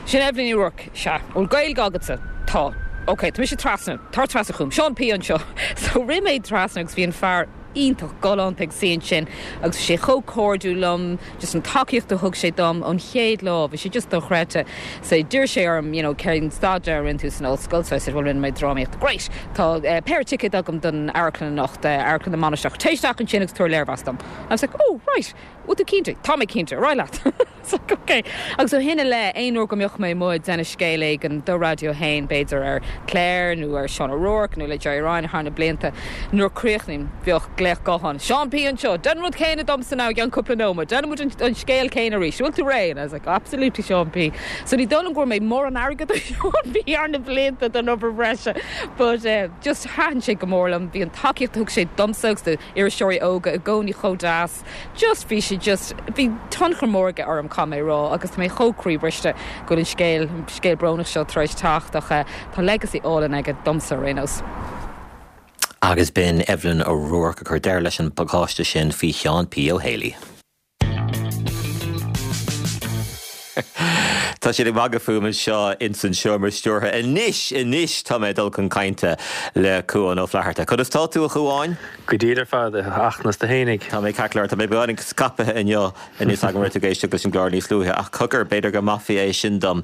Sin Evelyn Ní Ruairc, sea. Bhfuil Gaeilge agatsa? Tá. Ok, tá mise trasna, tar trasna chugam. Seán P anseo. So rith mé trasna agus bhí an fear iontach galánta ag suí ansin agus bhí sé chomh cairdiúil liom, just an tacaíocht a thug sé dom ón chéad lá, bhí sé just dochreidte. So d'iarr sé orm, you know, cén staidéar a rinne tú san ollscoil, so I said, well rinne mé drámaíocht. Great! Tá eh, péire ticéad agam don amharclann anocht, eh, Amharclann na Mainistreach. Téigh isteach ansin agus tabhair léirmheas dom. I was like, oh, right. Bhfuil tú cinnte? Tá mé cinnte, ar aghaidh leat. It's like, ok. Agus ó shin i leith, aon uair go mbeadh mé amuigh ag déanamh scéal éigin do Raidió a hAon, b'fhéidir ar Claire nó ar Seán O'Rourke nó le Gerry Ryan thar na blianta, nuair a chríochnaím, bheadh glaoch gutháin, Seán P anseo, déan an rud céanna domsa now i gceann cúpla nóiméad, déanfaidh muid an scéal céanna arís, bhfuil tú réidh? And I was like, absolutely Seán P. So ní dóigh liom go bhfuair mé mórán airgead ó Seán P thar na blianta don obair bhreise, but eh, just thaitin sé go mór liom, bhí an tacaíocht a thug sé domsa agus do iriseoirí óga i gcónaí chomh deas. Just bhí sé just, bhí tionchar mór aige orm caithfidh mé a rá agus tá mé chomh croíbhriste go bhfuil an scéal, an scéal brónach seo tar éis teacht ach tá legacy álainn aige domsa ar aon nós. Agus b'in Evelyn O'Rourke ag cur deireadh leis an bpacáiste sin faoi Sheán P. Ó Héalaí. Tá siad ag magadh fúm anseo ins an seomra stiúrtha. Anois, anois tá mé ag dul chun cainte le Cuán Ó Flatharta. Conas tá tú, a Chuáin? Go diail ar fad, a Fhachtna, is tú fhéinig? Tá mé ceart go leor. Tá mé beagáinín scaipthe inniu. Níl a fhios agam an raibh tú ag éisteacht leis an gclár níos luaithe, ach cogar, b'fhéidir go maithfí é sin dom.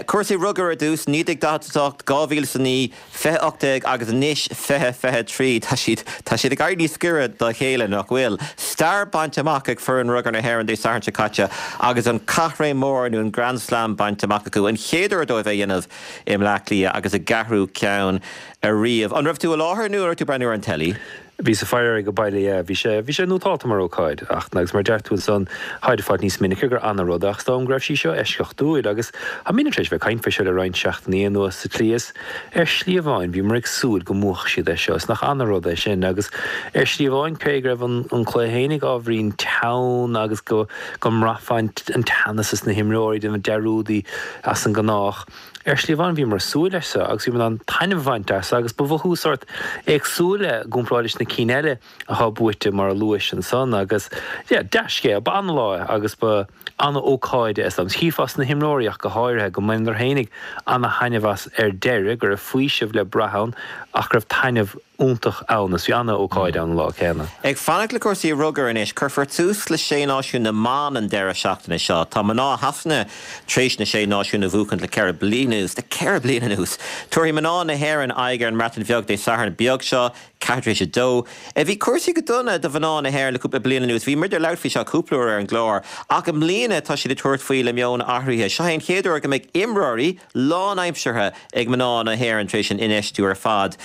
Cúrsaí rugair ar dtús, naoi déag daichead a hocht, dhá mhíle is a naoi, fiche ocht déag agus anois fiche fiche trí. Tá siad, tá siad ag éirí níos giorra dá chéile, nach bhfuil? Stair bainte amach ag foireann rugair na hÉireann Dé Sathairn seo caite agus an caithréim mór nó an Grand Slam bainte amach acu, an chéad uair dóibh é a dhéanamh i mBleá Cliath agus a gceathrú ceann ariamh. An raibh tú i láthair nó an raibh tú ag breathnú ar an teilí? Bhíos ag faire air go baile, yeah. Bhí sé, bhí sé nótálta mar ócáid ach, agus mar a deir tú ansan, táid ag fáilt níos minice gur ana-rud é ach is dóigh liom go raibh sí seo eisceachtúil agus táimidne tar éis bheith ag caint fé seo le roinnt seachtainí anuas sa tslí is ar shlí amháin bhíomar ag súil go mbuafadh siad é seo is nach ana-rud é sin agus ar shlí amháin cé go raibh an, an cluiche fhéinig ábhairín teann agus go, go mbraithfeá an, an teannas is na himreoirí ag déanamh dearúdaí as an ngnách. Ar shlí amháin bhíomar ag súil leis seo agus bhíomar in ann taitneamh a bhaint as agus ba mhothú sórt éagsúil é i gcomparáid leis na cinn eile atá buaite mar a luais ansan agus yeah, dea-scéal, ba ana-lá é agus ba ana-ócáid é is dóigh. Chífeá sna himreoirí ach go háirithe go mbaineadar fhéinig ana-thaitneamh as ar deireadh, go raibh faoiseamh le brath ann ach go raibh taitneamh iontach ann is bhí ana-ócáid ann an lá céanna. Ag fanacht le cúrsaí rugair anois, cuirfear tús le Sé Náisiún na mBan an deireadh seachtaine seo. Tá mná Shasana tar éis na Sé Náisiún a bhuachaint le ceithre bliana anuas. Le ceithre bliana anuas! Tabharfaidh mná na hÉireann aghaidh ar an mBreatain Bheag Dé Sathairn beag seo, ceathair tar éis a dó. Bhí cúrsaí go dona do mhná na hÉireann le cúpla bliain anuas. Bhí muid ag labhairt faoi seo cúpla uair ar an gclár. Ach i mbliana tá siad ag tabhairt faoi le meon athraithe. Seo é an chéad uair go mbeidh imreoirí lánaimseartha ag mná na hÉireann tar éis an infheistiú ar fad.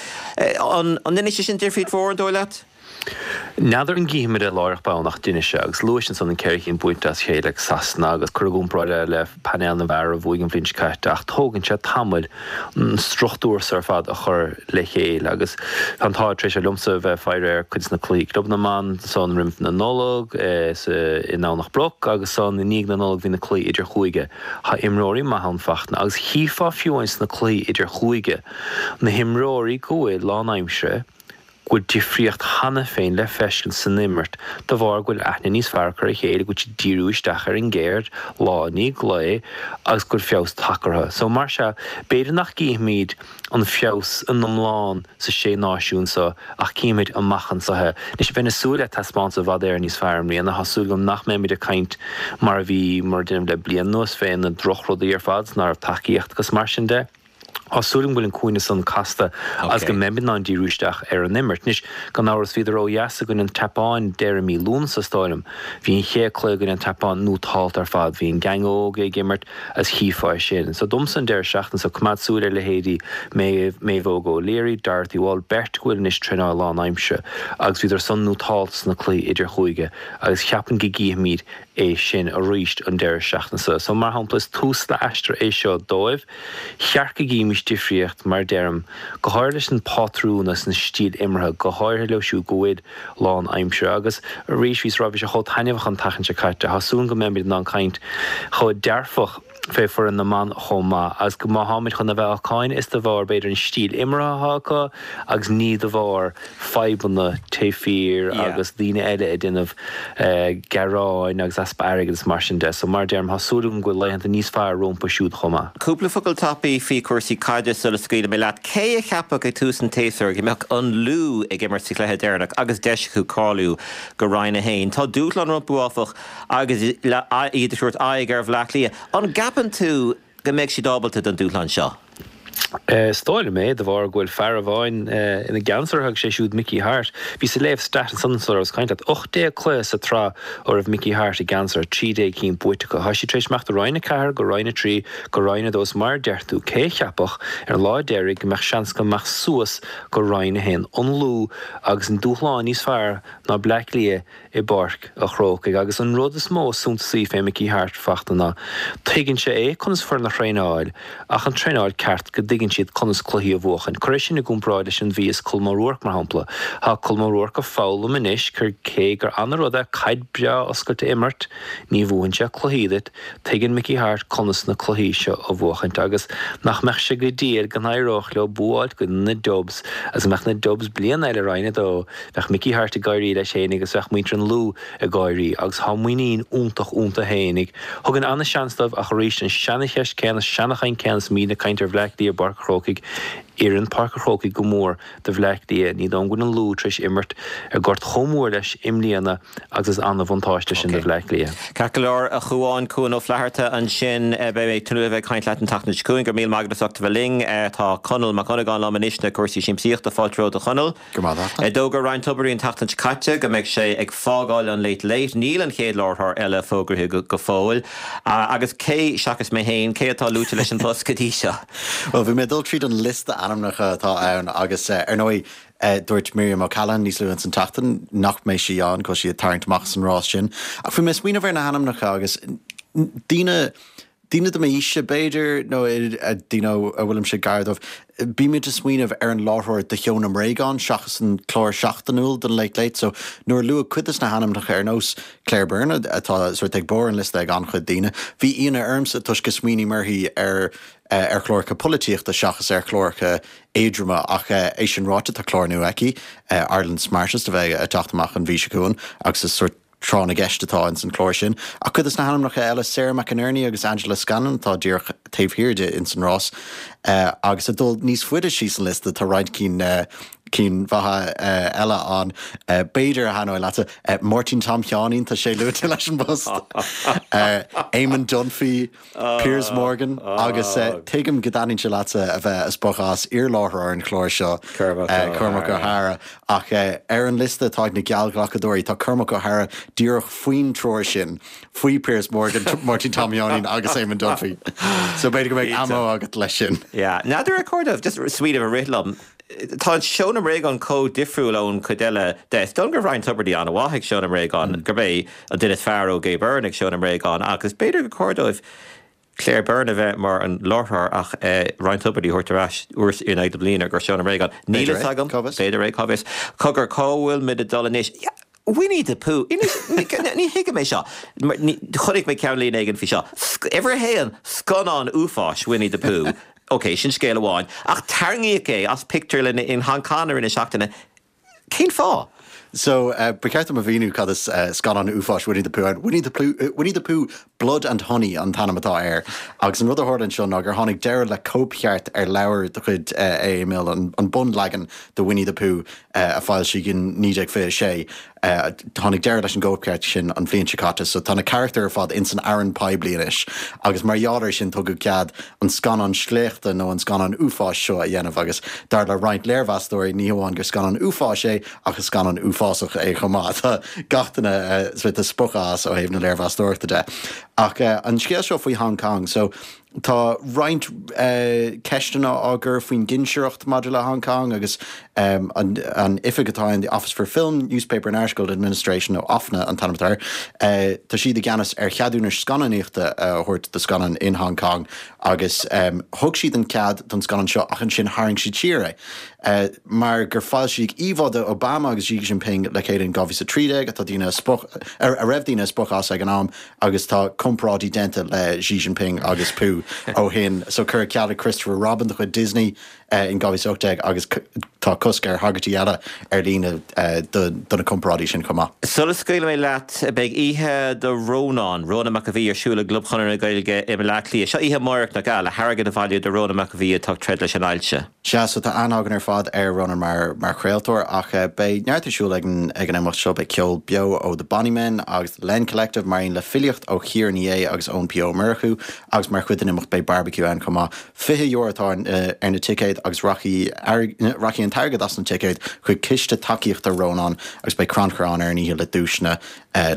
An ndéanfaidh sé sin difríocht mhór, an dóigh leat? N'fheadar an gcífimid é láithreach bonn ach d'inis sé agus luais ansan an ceithre cinn buaite as a chéile ag Sasana agus cur i gcomparáid é le painéal na bhfear a bhuaigh an bhliain seo caite ach tógann sé tamall an struchtúr so ar fad a chur le chéile agus tá an t-ádh tar éis liomsa a bheith ag faire ar cuid de na cluichí club na mban san roimh na Nollag sa i nDomhnach Broc agus san i ndiaidh na Nollag bhí na cluichí idirchúige. Tá imreoirí maithe ann Fachtna agus chífeá fiú amháin sna cluichí idirchúige na himreoirí go bhfuil lánaimseartha go bhfuil difríocht cheana féin le feiscint san imirt de bharr go bhfuil aithne níos fearr acu ar a chéile, go bhfuil siad ag díriú isteach ar an gceird lá i ndiaidh lae agus go bhfuil feabhas tagtha orthu. So mar sea, b'fhéidir nach gcífimid an feabhas in iomlán sa Sé Náisiún so ach cífimid amach anseo é. Anois, bheinn ag súil le taispeántas i bhfad Éireann níos fearr i mbliana. Tá súil agam nach mbeimid ag caint mar a bhí mar a déanaim le bliain anuas fé na drochrudaí ar fad, ná raibh tacaíocht agus mar sin de. Tá súil agam go bhfuil an cúinne san casta agus go mbeimid in ann díriú isteach ar an imirt. Anois, gan amhras, bhíodar ó dheas i gcoinne an tSeapáin deireadh mí Lúnasa, is dóigh liom. Bhí an chéad cluiche i gcoinne an tSeapáin nótálta ar fad. Bhí an gang óg ag imirt agus chífeá é sin. So domsa an deireadh seachtaine so, coimeád súil ar leithéidí Maeve, Maeve Óg O'Leary, Dorothy Wall, beirt go bhfuil anois traenáil lánaimseartha agus bhíodar san nótálta sna cluichí idirchúige agus cheapfainn go gcífimid é sin arís an deireadh seachtaine seo. So, mar shampla, is tús le aistear é seo dóibh. Cheart go gcífimis difríocht, mar a deirim, go háirithe leis an pátrún agus an stíl imeartha, go háirithe leo siúd go bhfuil lán-aimseartha. Agus arís, bhíos ag rá, bhí sé chomh taitneamhach an tseachtain seo caite. Tá súil agam go mbeimid in ann caint chomh dearfach fé foireann na mban chomh maith agus go má tháimid chun a bheith á cáineadh is de bharr, b'fhéidir, an stíl imeartha atá acu agus ní de bharr fadhbanna taobh thiar agus daoine eile ag déanamh gearáin agus easpa airgid is mar sin de. So mar a deirim, tá súil agam go bhfuil laethanta níos fearr rompu siúd chomh maith. Cúpla focal tapaidh faoi chúrsaí caide sula scaoilfidh mé leat. Cé a cheapfadh ag tús an tséasúir go mbeadh an Lú ag imirt sa chluiche deireanach agus deis acu cáiliú go Roinn a haon? Tá dúshlán rompu, áfach, agus iad ag tabhairt aghaidh ar Bhleá Cliath. An gceapann tú go mbeidh siad ábalta don dúshlán seo? Is dóigh liom é, de bharr go bhfuil fear amháin ina gceannas orthu agus sé siúd Mickey Harte. Bhíos ag léamh stat ansan sula rabhas ag caint leat. ocht déag cluiche sa tsraith ó raibh Mickey Harte i gceannas orthu, trí déag cinn buaite acu. Tá siad tar éis imeacht ó Roinn a ceathair go Roinn a trí go Roinn a dó is mar a deir tú, cé a cheapfadh ar an lá deiridh go mbeadh seans acu imeacht suas go Roinn a haon? An Lú agus an dúshlán níos fearr ná Bleá Cliath i bPáirc a' Chrócaigh agus an rud is mó is suntasaí fé Mickey Harte, Fachtna, ná tuigeann sé é conas foireann a thraenáil ach an traenáil ceart go dtuigeann siad conas cluichí a bhuachan. Cuir é sin i gcomparáid leis an Mhí is Colm O'Rourke mar shampla. Tá Colm O'Rourke ag foghlaim anois gur cé gur ana-rud é caid breá oscailte a imirt ní bhuann sé cluichí duit. Tuigeann Mickey Harte conas na cluichí seo a bhuachaint agus nach mbeadh sé go diail go n-éireodh leo bua a fháilt i gcoinne na Dubs agus go mbeadh na Dubs bliain eile i Roinn a dó. Bheadh Mickey Harte ag gáirí leis fhéinig agus bheadh muintir an Lú ag gáirí agus tá muinín iontach iontu fhéinig. Thugann ana-sheans dóibh ach arís an seana-cheist céanna, seana-chaint céanna is muid ag caint ar Bhleá Cliath i bPáirc a' Chrócaigh. Oireann Páirc a' Chrócaigh go mór do Bhleá Cliath. Ní dóigh liom go bhfuil an Lú tar éis imirt ar gort chomh mór leis i mbliana agus is ana-bhuntáiste sin do Bhleá Cliath. Ceart go leor, a Chuáin, Cuan Ó Flatharta ansin. Beidh mé ag tnúth le bheith ag caint leat an tseachtain seo chugainn. Go raibh míle maith agat as ucht a bheith linn. Tá Conall Mac Dhonnagáin liom anois na cúrsaí siamsaíochta. Fáilte romhat a Chonaill. Go raibh maith agat. D'fhógair Ryan Tubridy an tseachtain seo caite go mbeidh sé ag fágáil an Late Late. Níl an chéad láithreoir eile fógraithe go fóill. Agus cé, seachas mé féin, cé atá luaite leis an bpost go dtí seo? Bhuel, bhí mé ag dul tríd an liosta ainmneacha atá ann agus, ar ndóigh, dúirt Miriam O'Callaghan níos luaithe ins an tseachtain nach mbeidh sí ann, go bhfuil sí ag tarraingt amach as an rás sin. Ach bhí mé ag smaoineamh ar na hainmneacha agus daoine, Daoine do m'aoise, b'fhéidir, nó daoine a bhfuilimse gar dóibh, bímid ag smaoineamh ar an láithreoir do Sheó na mBréagán seachas an clár seachtainiúil don Late Late. So, nuair a luadh cuid de na hainmneacha ar nós Claire Byrne, atá sórt ag barr an liosta ag an-chuid daoine, bhí ionadh ormsa toisc go smaoiním uirthi ar ar chláracha polaitíochta seachas ar chláracha éadroma. Ach é sin ráite, tá clár nua aici, Ireland's Smartest, a bheidh ag teacht amach an mhí seo chugainn agus is sórt tráth na gceist atá ins an chlár sin. Ach cuid des na hainmneacha eile, Sarah McInerney agus Angela Scanlon atá díreach taobh thiar di ins an rás. Agus ag dul níos faide síos an liosta tá roinnt cinn cinn mhaithe eile ann. B'fhéidir a thaitneoidh leatsa, Máirtín Tom Sheáinín, tá sé luaite leis an bpost. Eamon Dunphy, Piers Morgan agus tuigim go dtaitníonn sé leatsa a bheith ag spochadh as iarláithreoir an chláir seo, Cormac Ó hEadhra. Ach ar an liosta atá ag na geallghlacadóirí, tá Cormac Ó hEadhra díreach faoin triúr sin, faoi Piers Morgan, Máirtín Tom Sheáinín agus Eamon Dunphy. So b'fhéidir go mbeidh ammo agat leis sin. Yeah. N'fheadar ar chóir domh just smaoineamh a rith liom. Tá an Seó na mBréagán chomh difriúil ón chuid eile de. Is dóigh go raibh Ryan Tubridy an-mhaith ag Seó na mBréagán, gurb é an duine is fearr ó Gay Byrne ag Seó na mBréagán agus b'fhéidir gur chóir dóibh Claire Byrne a bheith mar an láithreoir ach Ryan Tubridy a thabhairt ar ais uair in aghaidh na bliana gur Seó na mBréagán. Níl fhios agam. B'fhéidir é, cá bhfios. Cogar, cá bhfuil muid ag dul anois? Winnie the Pooh. Ní thuigim é seo. Chonaic mé ceannlíne éigin faoi seo. Uimhir a haon, scannán uafáis Winnie the Pooh. Ok, sin scéal amháin. Ach tarraingíodh é as pictiúrlanna in Hong Kong i rith na seachtaine. Cén fáth? So, ba cheart dom a mhíniú cad is scannán uafáis Winnie the Pooh ann. Winnie the Pooh, Winnie the Pooh Blood and Honey an t-ainm atá air. Agus an rud a tharla anseo ná gur tháinig deireadh le cóipcheart ar leabhar de chuid A. A. Milne, an bunleagan de Winnie the Pooh a foilsíodh in naoi déag fiche a sé. Tháinig deireadh leis an gcóipcheart sin an bhliain seo caite, so tá na carachtair ar fad ins an fhearann poiblí anois agus mar gheall air sin tugadh cead an scannán sléachta nó an scannán uafáis seo a dhéanamh agus dar le roinnt léirmheastóirí ní hamháin gur scannán uafáis é ach is scannán uafásach é chomh maith. Tá gach duine sórt spochta as ó thaobh na léirmheastóireachta de. Ach an scéal seo faoi Hong Kong, so tá roinnt ceisteanna á gcur faoin gcinsireacht maidir le Hong Kong agus an oifig atá in the Office for Film, Newspaper and Article Administration, nó OFNA an t-ainm atá air, tá siad i gceannas ar cheadúnais scannánaíochta a thabhairt do scannáin in Hong Kong agus thug siad an cead don scannán seo ach ansin tharraing siad siar é mar gur foilsíodh íomhá de Obama agus Xi Jinping le chéile in dhá mhíle is a trí déag atá daoine a raibh daoine ag spochadh as ag an am agus tá comparáidí déanta le Xi Jinping agus Pooh ó shin. So cuireadh ceal ar Christopher Robin de chuid Disney in dhá mhíle is a hocht déag agus tá cosc ar thagairtí eile ar líne do na comparáidí sin chomh maith. Sula scaoilfidh mé leat, beidh oíche do Rónán, Rónán Mac Aodha Bhuí, ar siúl i gClub Chonradh na Gaeilge i mBaile Átha Cliath. Seo oíche amárach, nach ea, le hairgead a bhailiú do Rónán Mac Aodha Bhuí atá ag troid leis an ailse. Sea, so tá aithne againn ar fad ar Rónán mar mar chraoltóir ach beidh neart ar siúl ag an ag an imeacht seo, beidh ceol beo ó The Bonny Men agus The Len Collective mar aon le filíocht ó Chiara Ní É agus Eoin P Ó Murchú agus mar chuid den imeacht beidh barbecue ann chomh maith. Fiche euro atá ar na ticéid agus rachaidh rachaidh an t-airgead as na ticéid chuig ciste tacaíochta Rónán agus beidh crannchur ann ar an oíche le duaiseanna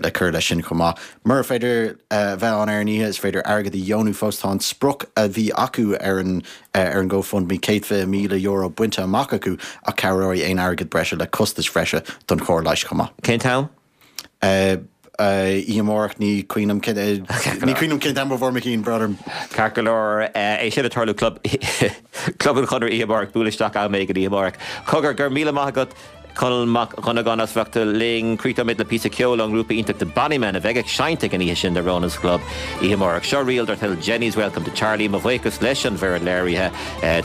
le cur leis sin chomh maith. Mura féidir bheith ann ar an oíche, is féidir airgead a dheonú fós. Tá an sprioc a bhí acu ar an ar an GoFundMe, céad fiche míle euro, bainte amach acu ach cabhróidh aon airgead breise le costais bhreise don chóir leighis chomh maith. Cén t-am? Oíche amárach, ní cuimhin liom cén ní cuimhin liom cén t-am ó bharr mo chinn, brón orm. Ceart go leor, é sin ag tarlú Club Club an Chonradh oíche amárach, buail isteach am éigin oíche amárach. Cogar, go raibh míle maith agat. Conall Mac Dhonnagáin as bheith linn. Críochnóimid le píosa ceoil ón ngrúpa iontach The Bonny Men a bheidh ag seinnt ag an oíche sin do Rónán sa Chlub oíche amárach. Seo ríl dar teideal Jenny's Welcome to Charlie. Mo bhuíochas leis an bhfoireann léirithe,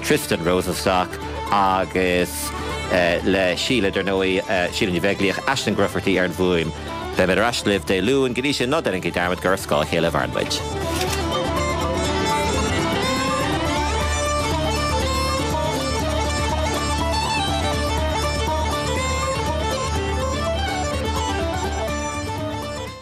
Tristan Rosenstock agus le Síle, dar ndóigh, Síle Ní Bheaglaoich, Aisling Grufferty ar an bhfuaim. Beimid ar ais libh Dé Luain. Go dtí sin, ná déanaigí dearmad gur ar scáth a chéile a mhaireann muid.